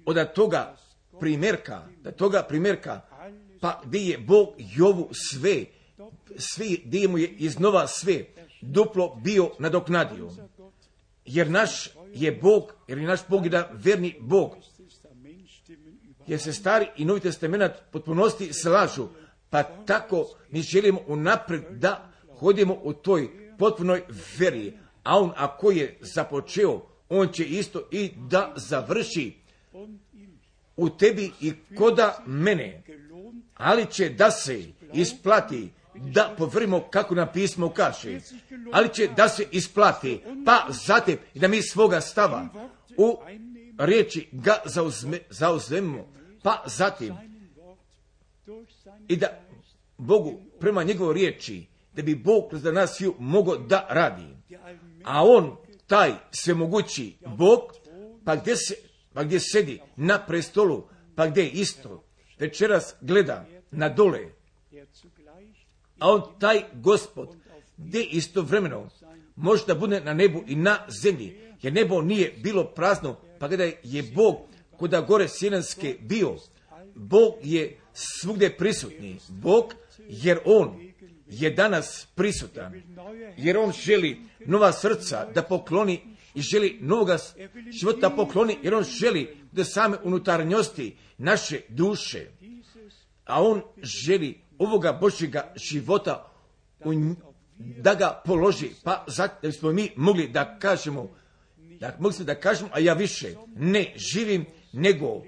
od toga primjerka, da toga primjerka, pa gdje je Bog Jovu sve, sve, gdje mu je iznova sve duplo bio nadoknadio. Jer naš je Bog, jer je naš Bog jedan verni Bog, jer se Stari i Novi Testament potpunosti slažu, pa tako mi želimo unaprijed da hodimo u toj potpunoj veri, a on ako je započeo, on će isto i da završi u tebi i koda mene, ali će da se isplati da povrimo kako nam pismo kaže, ali će da se isplati, pa zatim i da mi svoga stava u riječi ga zauzme, zauzmemo, pa zatim i da Bogu prema njegovoj riječi, da bi Bog kroz nas sviju mogao da radi. A on, taj svemogući Bog, pa gdje, se, pa gdje sedi na prestolu, pa gdje isto večeras gleda na dole, a on, taj Gospod, gdje istovremeno može da bude na nebu i na zemlji, jer nebo nije bilo prazno, pa kada je Bog kuda gore sjenanske bio, Bog je svugdje prisutni. Bog, jer on je danas prisutan, jer on želi nova srca da pokloni i želi novoga života pokloni, jer on želi da same unutarnjosti naše duše, a on želi ovoga Božjega života da ga položi, pa zato da bismo mi mogli da kažemo, da mogli da kažemo, a ja više ne živim, nego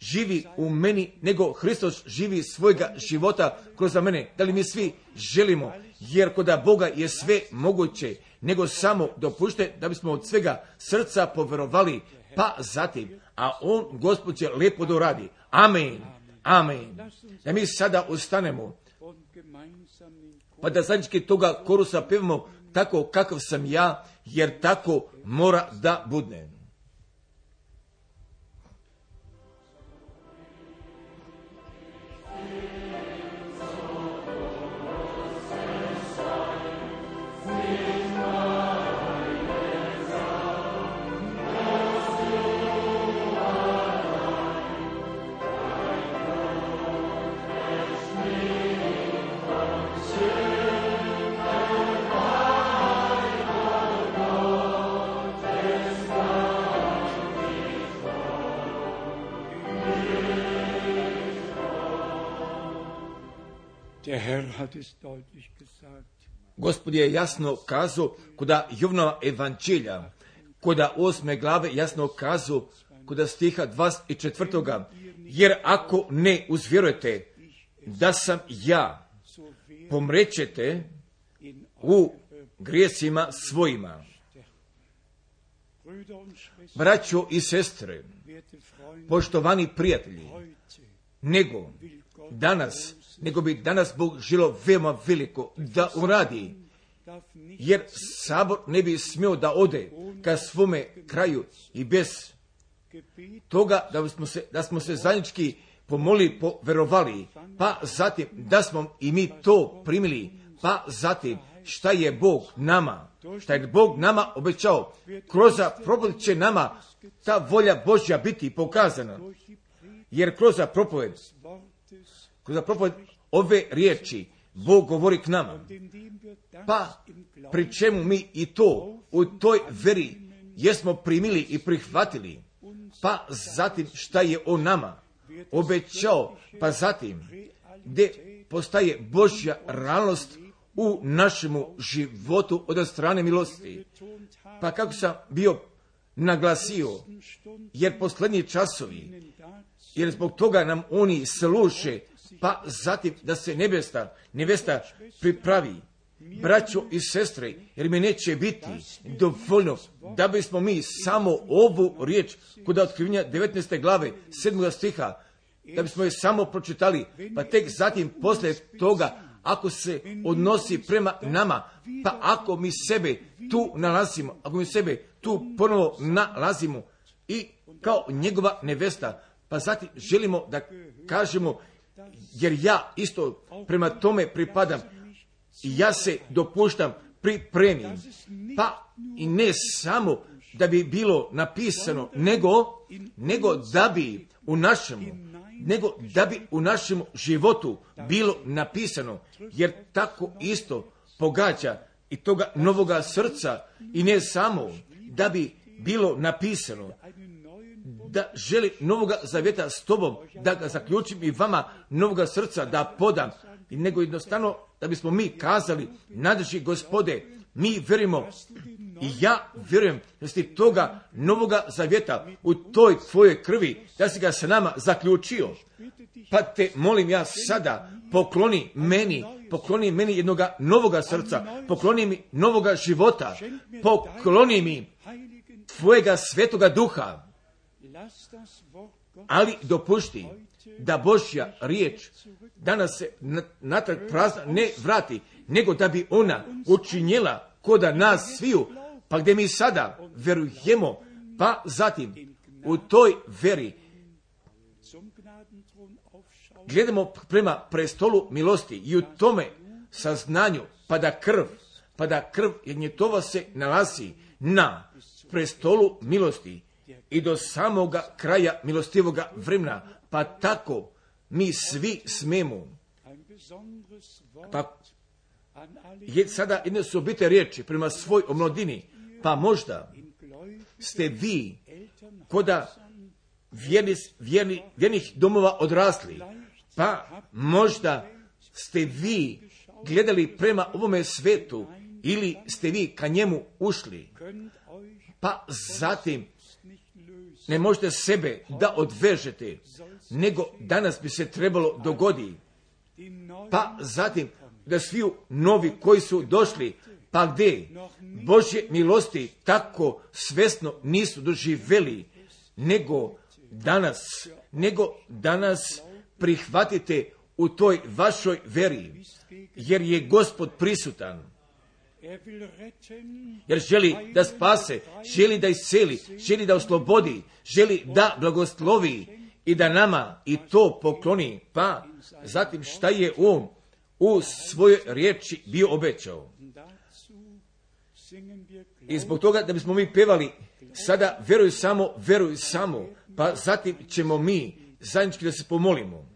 živi u meni, nego Hristos živi svojega života kroz mene. Da li mi svi želimo, jer kod Boga je sve moguće, nego samo dopušte da bismo od svega srca poverovali, pa zatim, a on, Gospod, će lijepo da uradi. Amen, amen. Da mi sada ustanemo, pa da zajednički toga korusa pevamo tako kakav sam ja, jer tako mora da bude. Gospod je jasno kazao kuda Jovnova evanđelja, kuda osme glave jasno kazao kuda stiha dvadeset četvrtoga jer ako ne uzvjerujete da sam ja, pomrećete u grijesima svojima. Braćo i sestre, poštovani prijatelji, nego danas, nego bi danas Bog želio veoma veliko da uradi, jer sabor ne bi smio da ode ka svome kraju i bez toga da smo se, da smo se zajednički pomolili, poverovali, pa zatim da smo i mi to primili, pa zatim šta je Bog nama, šta je Bog nama obećao, kroz propoved će nama ta volja Božja biti pokazana, jer kroz propoved, kroz propoved ove riječi Bog govori k nama, pa pri čemu mi i to u toj veri jesmo primili i prihvatili, pa zatim šta je on nama obećao, pa zatim gdje postaje Božja realnost u našemu životu od strane milosti. Pa kako sam bio naglasio, jer posljednji časovi, jer zbog toga nam oni služe, pa zatim da se nebesta, nevesta pripravi, braćo i sestre, jer mi neće biti dovoljno da bismo mi samo ovu riječ kod otkrivenja devetnaeste glave sedmog stiha, da bismo je samo pročitali, pa tek zatim poslije toga, ako se odnosi prema nama, pa ako mi sebe tu nalazimo, ako mi sebe tu ponovo nalazimo i kao njegova nevesta, pa zatim želimo da kažemo, jer ja isto prema tome pripadam i ja se dopuštam pripremim, pa i ne samo da bi bilo napisano, nego, nego da bi u našemu, nego da bi u našem životu bilo napisano, jer tako isto pogađa i toga novoga srca i ne samo da bi bilo napisano, da želi novoga zavjeta s tobom, da ga zaključim i vama novoga srca da podam, nego jednostavno da bismo mi kazali, nadrži Gospode, mi verimo I ja vjerujem da si toga novoga zavjeta u toj tvojoj krvi, da si ga sa nama zaključio. Pa te molim ja sada, pokloni meni, pokloni meni jednoga novoga srca, pokloni mi novoga života, pokloni mi tvojega svetoga duha. Ali dopušti da Božja riječ danas se natrag prazna ne vrati, nego da bi ona učinjela koda nas sviju, pa gdje mi sada verujemo, pa zatim u toj veri gledamo prema prestolu milosti i u tome saznanju, pa da krv, pa da krv jagnjetova se nalazi na prestolu milosti i do samoga kraja milostivoga vremena, pa tako mi svi smemo. Pa je sada jedne su obite riječi prema svoj omladini, pa možda ste vi koda vjerni, vjerni, vjernih domova odrasli, pa možda ste vi gledali prema ovome svetu ili ste vi ka njemu ušli, pa zatim ne možete sebe da odvežete, nego danas bi se trebalo dogodi, pa zatim da sviju novi koji su došli, pa gdje Božje milosti tako svesno nisu doživjeli, nego danas, nego danas prihvatite u toj vašoj veri, jer je Gospod prisutan. Jer želi da spase, želi da isceli, želi da oslobodi, želi da blagoslovi i da nama i to pokloni. Pa zatim šta je on u svojoj riječi bio obećao. I zbog toga da bismo mi pevali sada veruj samo, veruj samo, pa zatim ćemo mi zajednički da se pomolimo.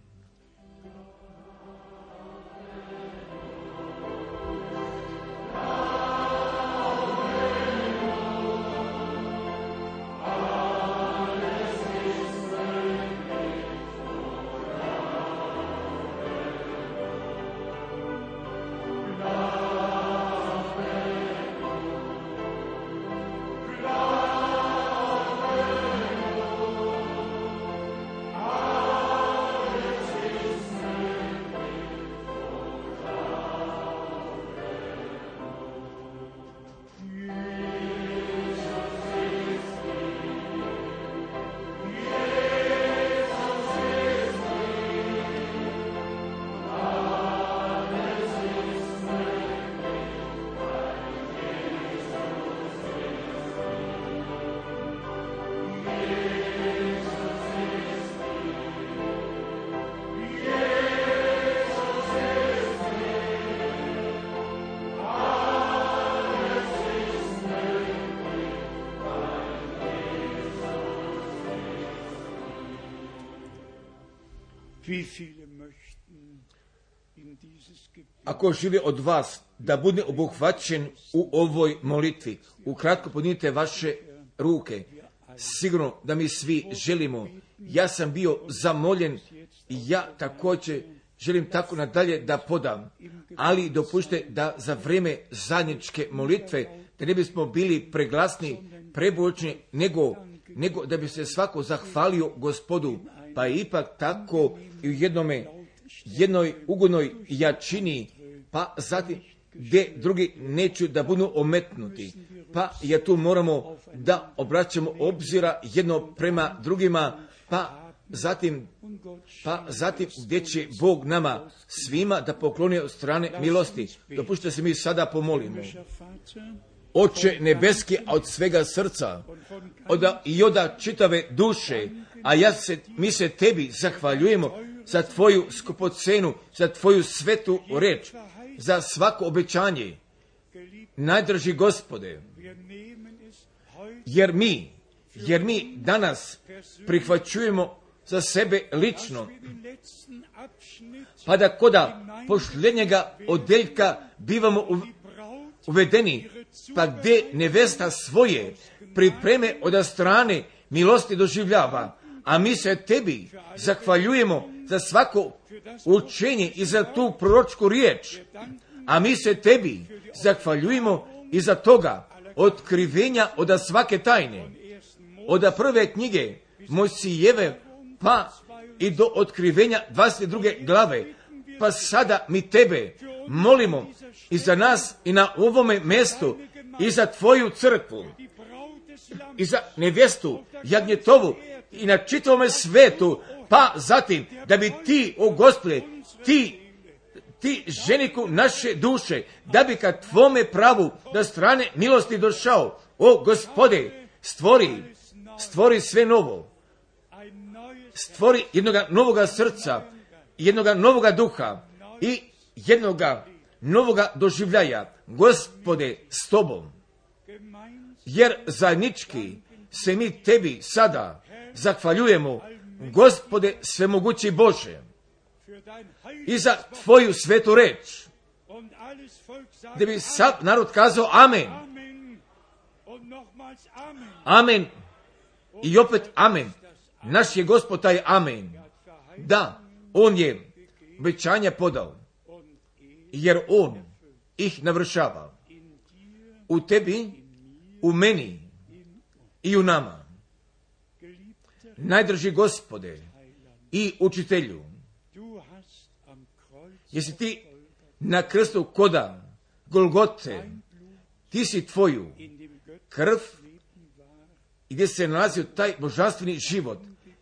Ako želi od vas da bude obuhvaćen u ovoj molitvi, ukratko podignite vaše ruke. Sigurno da mi svi želimo. Ja sam bio zamoljen i ja također želim tako nadalje da podam. Ali dopušte da za vrijeme zajedničke molitve, da ne bismo bili preglasni, prebučni, nego, nego da bi se svako zahvalio Gospodu. Pa ipak tako i u jednome, jednoj ugodnoj jačini, pa zatim gdje drugi neću da budu ometnuti. Pa ja tu moramo da obraćamo obzira jedno prema drugima, pa zatim, pa zatim gdje će Bog nama svima da pokloni od strane milosti. Dopušte se mi sada pomolimo. Oče nebeski, a od svega srca, od, i od čitave duše, a ja se, mi se tebi zahvaljujemo za tvoju skupocenu, za tvoju svetu reč, za svako obećanje. Najdraži Gospode, jer mi, jer mi danas prihvaćujemo za sebe lično, pa da koda posljednjega odeljka bivamo uvedeni, pa gdje nevesta svoje pripreme od strane milosti doživljava, a mi se tebi zahvaljujemo za svako učenje i za tu proročku riječ, a mi se tebi zahvaljujemo i za toga otkrivenja od svake tajne, od prve knjige Mojsijeve pa i do otkrivenja dvadeset druge glave. Pa sada mi tebe molimo i za nas i na ovome mjestu i za tvoju crkvu i za nevjestu Jagnjetovu i na čitavome svetu, pa zatim da bi ti, o Gospode, ti ti ženiku naše duše, da bi ka tvome pravu da strane milosti došao, o Gospode, stvori, stvori sve novo, stvori jednoga novoga srca, jednoga novoga duha i jednoga novoga doživljaja, Gospode, s tobom. Jer zajednički se mi tebi sada zahvaljujemo, Gospode svemogući Bože, i za tvoju svetu reč, gdje bi sav narod kazao amen. Amen. I opet amen. Naš je Gospod taj amen. Da, on je obećanja podao, jer on ih navršava. U tebi, u meni i u nama. Najdrži Gospode i učitelju, jesi ti na krstu koda Golgote, ti si tvoju krv, gdje se nalazio taj božanstveni život,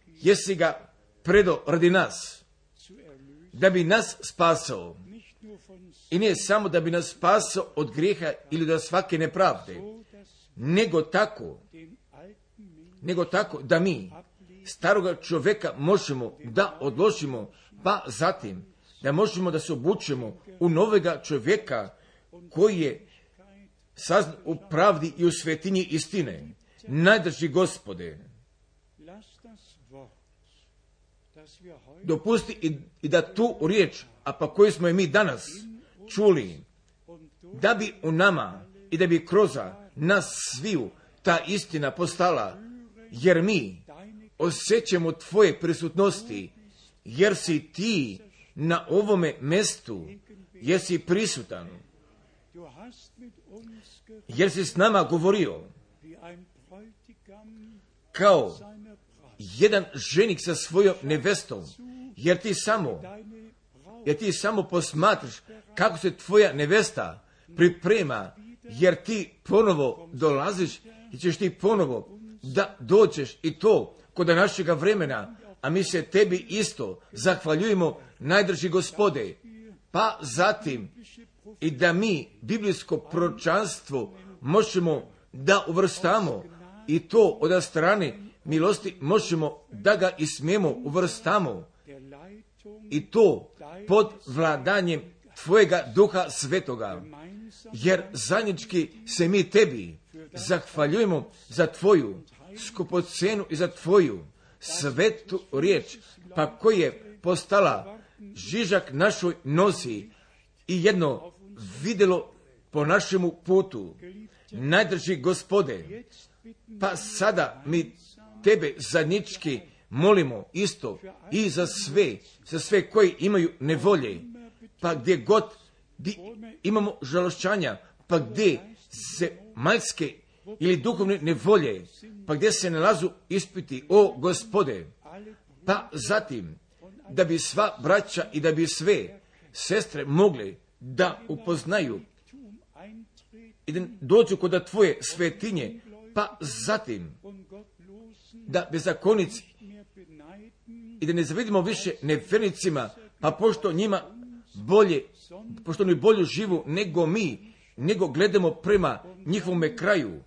jesi ga predao radi nas, da bi nas spasao. I nije samo da bi nas spasao od grijeha ili od svake nepravde, nego tako, nego tako da mi staroga čovjeka možemo da odložimo, pa zatim da možemo da se obučemo u novega čovjeka koji je saznan u pravdi i u svetinji istine. Najdrži Gospode, dopusti i, i da tu riječ, a pa koju smo je mi danas čuli, da bi u nama i da bi kroz nas sviju ta istina postala, jer mi osjećamo tvoje prisutnosti, jer si ti na ovome mjestu, jer si prisutan, jer si s nama govorio kao jedan ženik sa svojom nevestom, jer ti samo, jer ti samo posmatraš kako se tvoja nevesta priprema, jer ti ponovo dolaziš i ćeš ti ponovo da dođeš i to kod našega vremena, a mi se tebi isto zahvaljujemo, najdrži Gospode, pa zatim i da mi biblijsko proročanstvo možemo da uvrstamo i to od strane milosti možemo da ga i smijemo uvrstamo i to pod vladanjem tvojega Duha Svetoga, jer zajednički se mi tebi zahvaljujemo za tvoju skupocenu i za tvoju svetu riječ, pa koji je postala žižak našoj nosi i jedno vidjelo po našemu putu. Najdrži Gospode, pa sada mi tebe zajednički molimo isto i za sve, za sve koji imaju nevolje, pa gdje god di imamo žalošćanja, pa gdje se majske ili duhovne nevolje, pa gdje se nalazu ispiti, o Gospode, pa zatim da bi sva braća i da bi sve sestre mogli da upoznaju i da dođu kod tvoje svetinje, pa zatim da bezakonici i da ne zavidimo više nevernicima, pa pošto njima bolje, pošto oni bolju živu nego mi, nego gledamo prema njihovome kraju,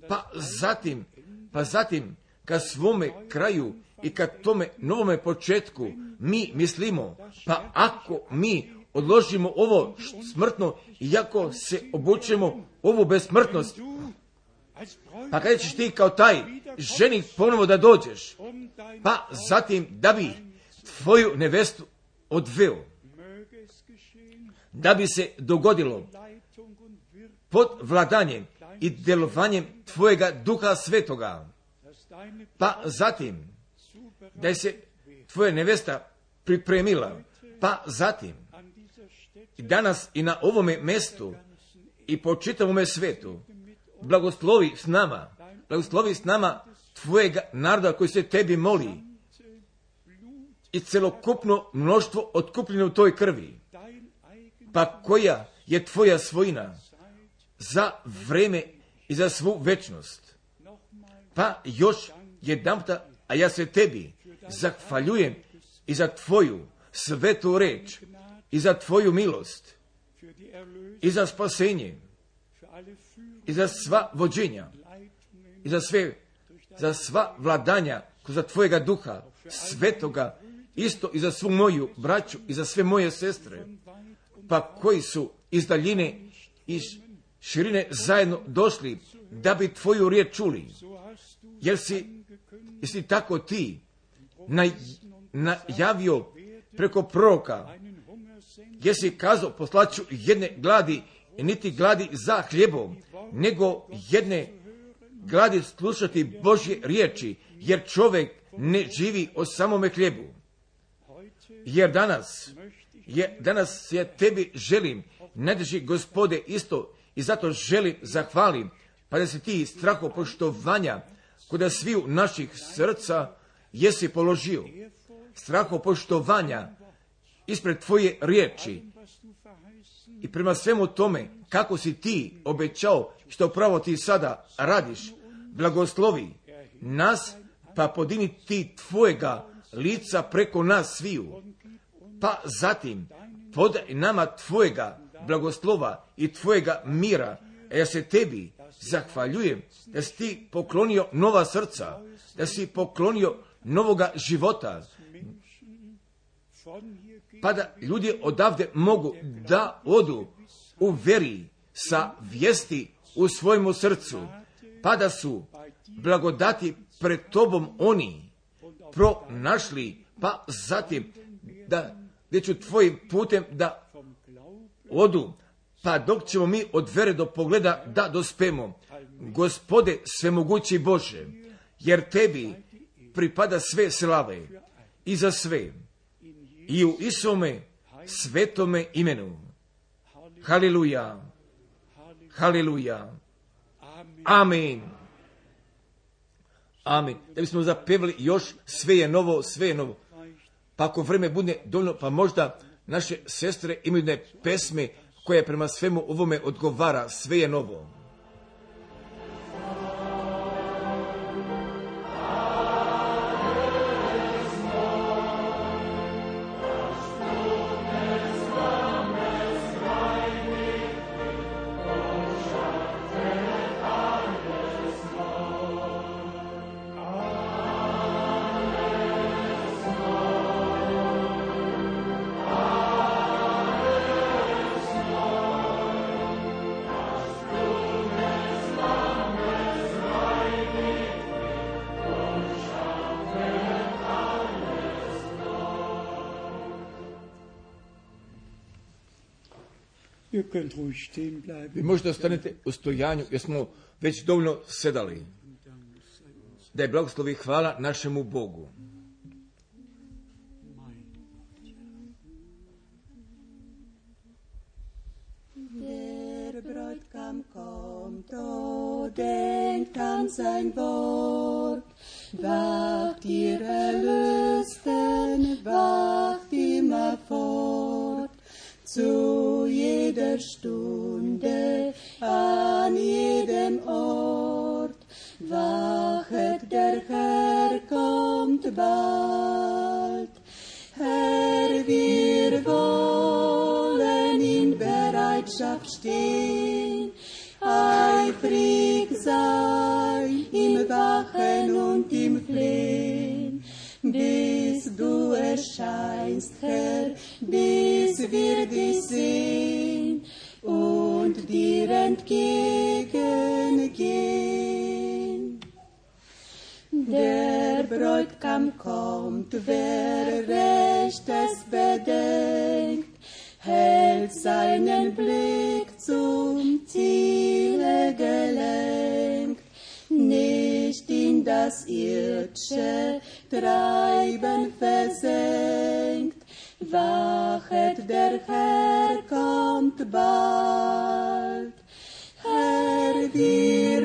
pa zatim, pa zatim ka svome kraju i ka tome novome početku mi mislimo, pa ako mi odložimo ovo smrtno i ako se obučemo ovu besmrtnost, pa kada ćeš ti kao taj ženik ponovo da dođeš, pa zatim da bi tvoju nevestu odveo, da bi se dogodilo pod vladanjem i djelovanjem tvojega Duha Svetoga, pa zatim da je se tvoja nevesta pripremila, pa zatim i danas i na ovome mjestu i po čitavome svetu blagoslovi s nama, blagoslovi s nama tvojega naroda koji se tebi moli i celokupno mnoštvo otkupljeno u toj krvi, pa koja je tvoja svojina za vreme i za svu večnost. Pa još jedanputa, a ja se tebi zahvaljujem i za tvoju svetu reč, i za tvoju milost, i za spasenje, i za sva vođenja, i za sve, za sva vladanja kroz tvojega duha svetoga, isto i za svu moju braću i za sve moje sestre, pa koji su iz daljine i širine zajedno došli da bi tvoju riječ čuli, jer si, jesi tako ti naj, najavio preko proroka, jer si kazao poslaću jedne gladi, niti gladi za hljebom, nego jedne gladi slušati Božje riječi, jer čovjek ne živi o samome hljebu. Jer danas, je, danas ja tebi želim, najdraži Gospode, isto i zato želim zahvalim, pa da si ti strahopoštovanja kod sviju naših srca jesi položio. Strahopoštovanja ispred tvoje riječi i prema svemu tome kako si ti obećao, što pravo ti sada radiš, blagoslovi nas, pa podini ti tvojega lica preko nas sviju, pa zatim podaj nama tvojega blagoslova i tvojega mira. A ja se tebi zahvaljujem da si ti poklonio nova srca, da si poklonio novoga života, pa da ljudi odavde mogu da odu u veri sa vijesti u svojemu srcu, pa da su blagodati pred tobom oni pronašli, pa zatim da gdje ću tvojim putem da odu, pa dok ćemo mi od vere do pogleda da dospemo. Gospode svemogući Bože, jer tebi pripada sve slave i za sve, i u Isome svetome imenu. Haleluja, haleluja, amen, amen. Da bismo zapevali još sve je novo, sve je novo. Pa ako vreme bude dovoljno, pa možda naše sestre imaju jedne pesme koja prema svemu ovome odgovara, sve je novo. Vi možete ostanete u stojanju, jer smo već dovoljno sedali. Da je blagoslovi hvala našemu Bogu. Der Bräutigam kommt, o denkt an sein Wort. Wacht ihr Erlösten, wacht immer fort. Zu jeder Stunde, an jedem Ort, wachet, der Herr kommt bald. Herr, wir wollen in Bereitschaft stehen, eifrig sein im Wachen und im Flehen, bis du erscheinst, Herr, bis wir dich sehen und dir entgegengehen. Der Bräutigam kommt, wer Rechtes bedenkt, hält seinen Blick zum Ziele gelenkt, nicht in das irdische Treiben versenkt. Wachet, der Herr kommt bald. Herr, wir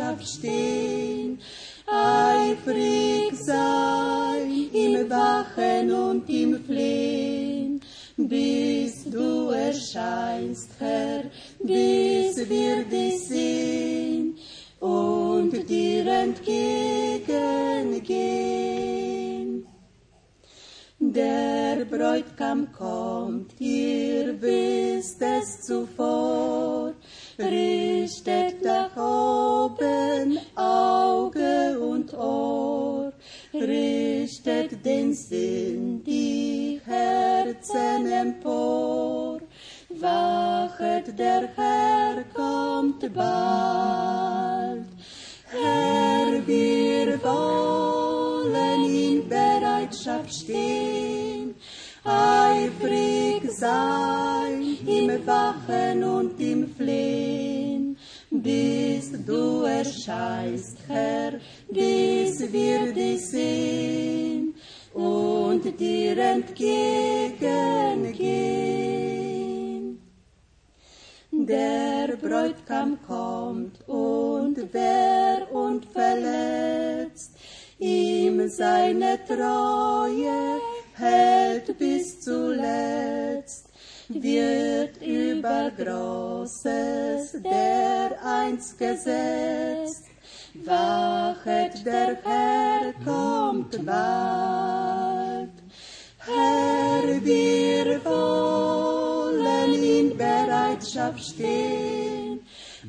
Bereitschaft stehen, eifrig sein im Wachen und im Flehen, bis du erscheinst, Herr, bis wir dich sehen und dir entgegengehen. Der Bräutigam kommt, ihr wisst es zuvor, richtet nach oben Auge und Ohr, richtet den Sinn, die Herzen empor. Wachet, der Herr kommt bald. Herr, wir wollen in Bereitschaft stehen, eifrig sein im Wachen und im Flehen, bis du erscheinst, Herr, bis wir dich sehen und dir entgegengehen. Der Bräutigam kommt, und wer unverletzt ihm seine Treue hält bis zuletzt, wird über Großes dereinst gesetzt. Wachet, der Herr kommt bald. Herr, wir wollen in Bereitschaft stehen,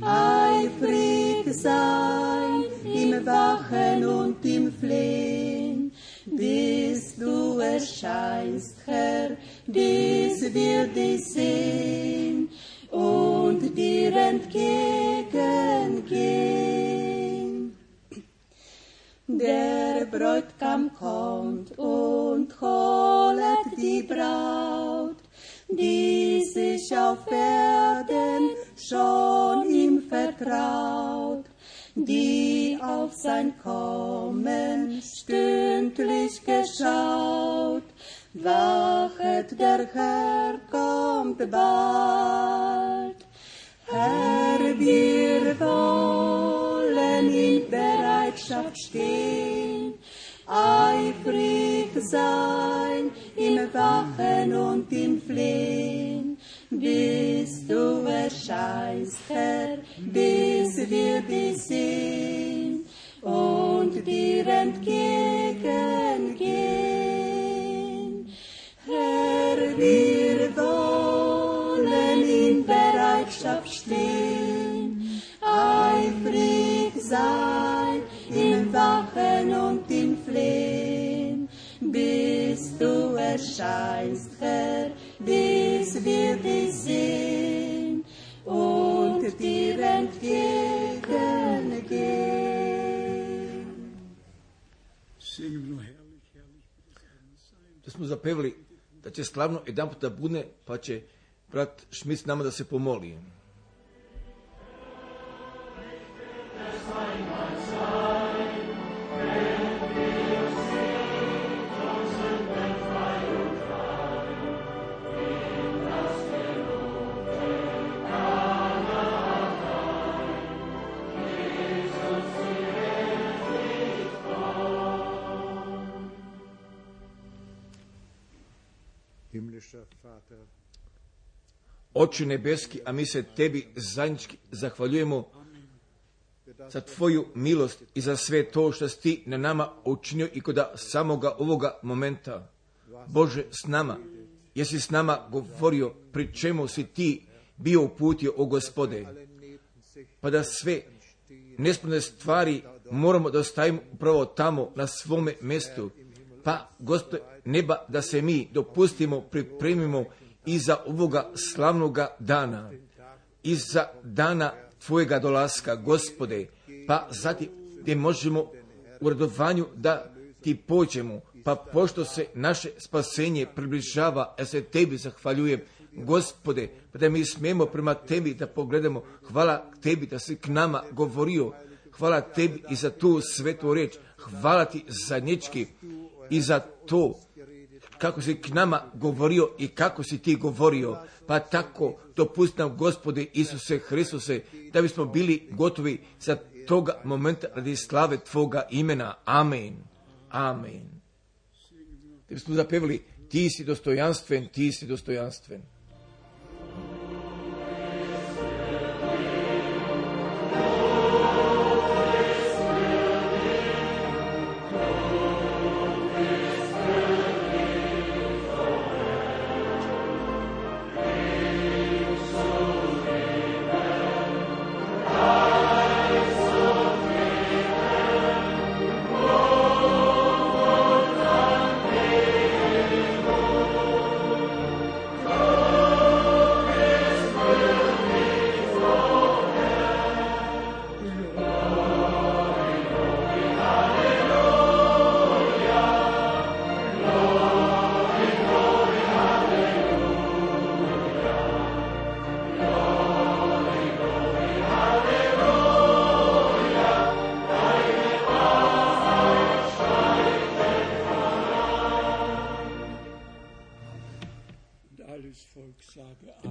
eifrig sein im Wachen und im Flehen, bis du erscheinst, Herr, bis wir dich sehen und dir entgegengehen. Der Bräutigam kommt und holet die Braut, die sich auf Erden schon ihm vertraut, die auf sein Kommen stündlich geschaut. Wachet, der Herr kommt bald. Herr, wir wollen in Bereitschaft stehen, eifrig sein im Wachen und im Flehen, bis du erscheinst, Herr, bis wir dich sehen und dir entgegengehen. Herr, wir wollen in Bereitschaft stehen, eifrig sein im Wachen und im Flehen, bis du erscheinst, Herr, bis wir dich sehen und dir entgegengehen. Da smo zapevali da će slavno jedan puta bude, pa će brat Šmit s nama da se pomoli. Oče nebeski, a mi se tebi zajednički zahvaljujemo za tvoju milost i za sve to što si ti na nama učinio i kod samoga ovoga momenta. Bože, s nama, jesi s nama govorio, pri čemu si ti bio uputio, o Gospode, pa da sve nesporne stvari moramo da ostavimo upravo tamo na svome mjestu, pa Gospode neba, da se mi dopustimo, pripremimo i za ovoga slavnoga dana, i za dana tvojega dolaska, Gospode, pa zatim gdje možemo u radovanju da ti pođemo, pa pošto se naše spasenje približava, ja se tebi zahvaljujem, Gospode, pa da mi smijemo prema tebi da pogledamo. Hvala tebi da si k nama govorio, hvala tebi i za tu svetu riječ, hvala ti zajednički i za to kako si k nama govorio i kako si ti govorio, pa tako dopusti nam, Gospode Isuse Hristuse, da bismo bili gotovi za toga momenta radi slave Tvoga imena. Amen. Amen. Te smo zapevali, ti si dostojanstven, ti si dostojanstven.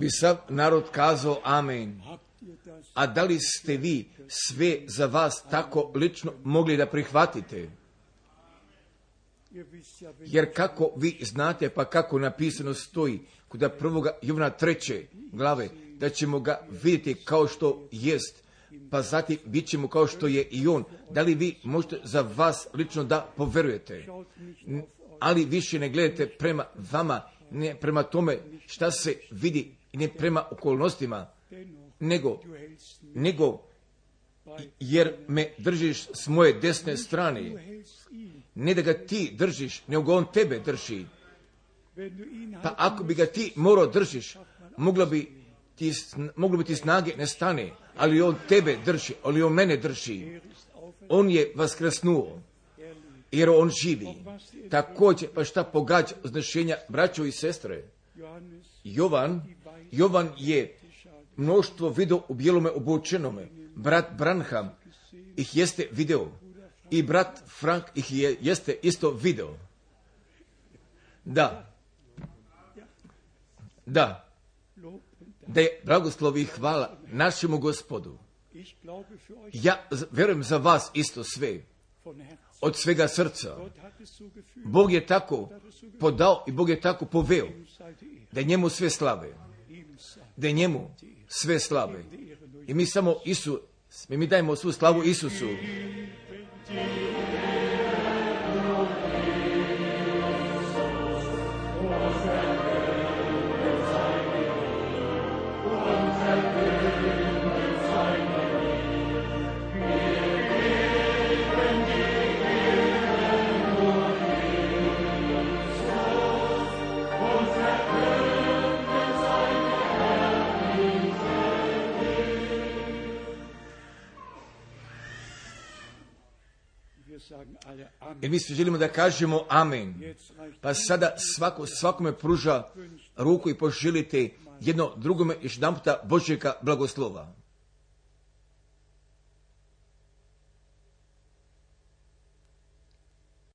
Bi sav narod kazao amen. A da li ste vi sve za vas tako lično mogli da prihvatite? Jer kako vi znate, pa kako napisano stoji kod prvoga Jovana treće glave, da ćemo ga vidjeti kao što jest, pa zatim bit ćemo kao što je i on. Da li vi možete za vas lično da poverujete? Ali više ne gledajte prema vama, ne prema tome šta se vidi i ne prema okolnostima, nego, nego jer me držiš s moje desne strane. Ne da ga ti držiš, nego on tebe drži. Pa ako bi ga ti morao držiš, moglo bi ti, moglo bi ti snage ne stane, ali on tebe drži, ali on mene drži. On je vaskrsnuo, jer on živi. Također, pa šta pogađa uznešenja braćo i sestre? Jovan, Jovan je mnoštvo video u bijelome obučenome. Brat Branham ih jeste video. I brat Frank ih je, jeste isto video. Da. Da. Da je blagoslov i hvala našemu Gospodu. Ja vjerujem za vas isto sve. Od svega srca. Bog je tako podao i Bog je tako poveo da je njemu sve slave. Da je njemu sve slave. I mi samo Isu, mi, mi dajemo svu slavu Isusu. I mi svi želimo da kažemo amen. Pa sada svako, svakome pruža ruku i poželite jedno drugome još jedan puta Božjega blagoslova.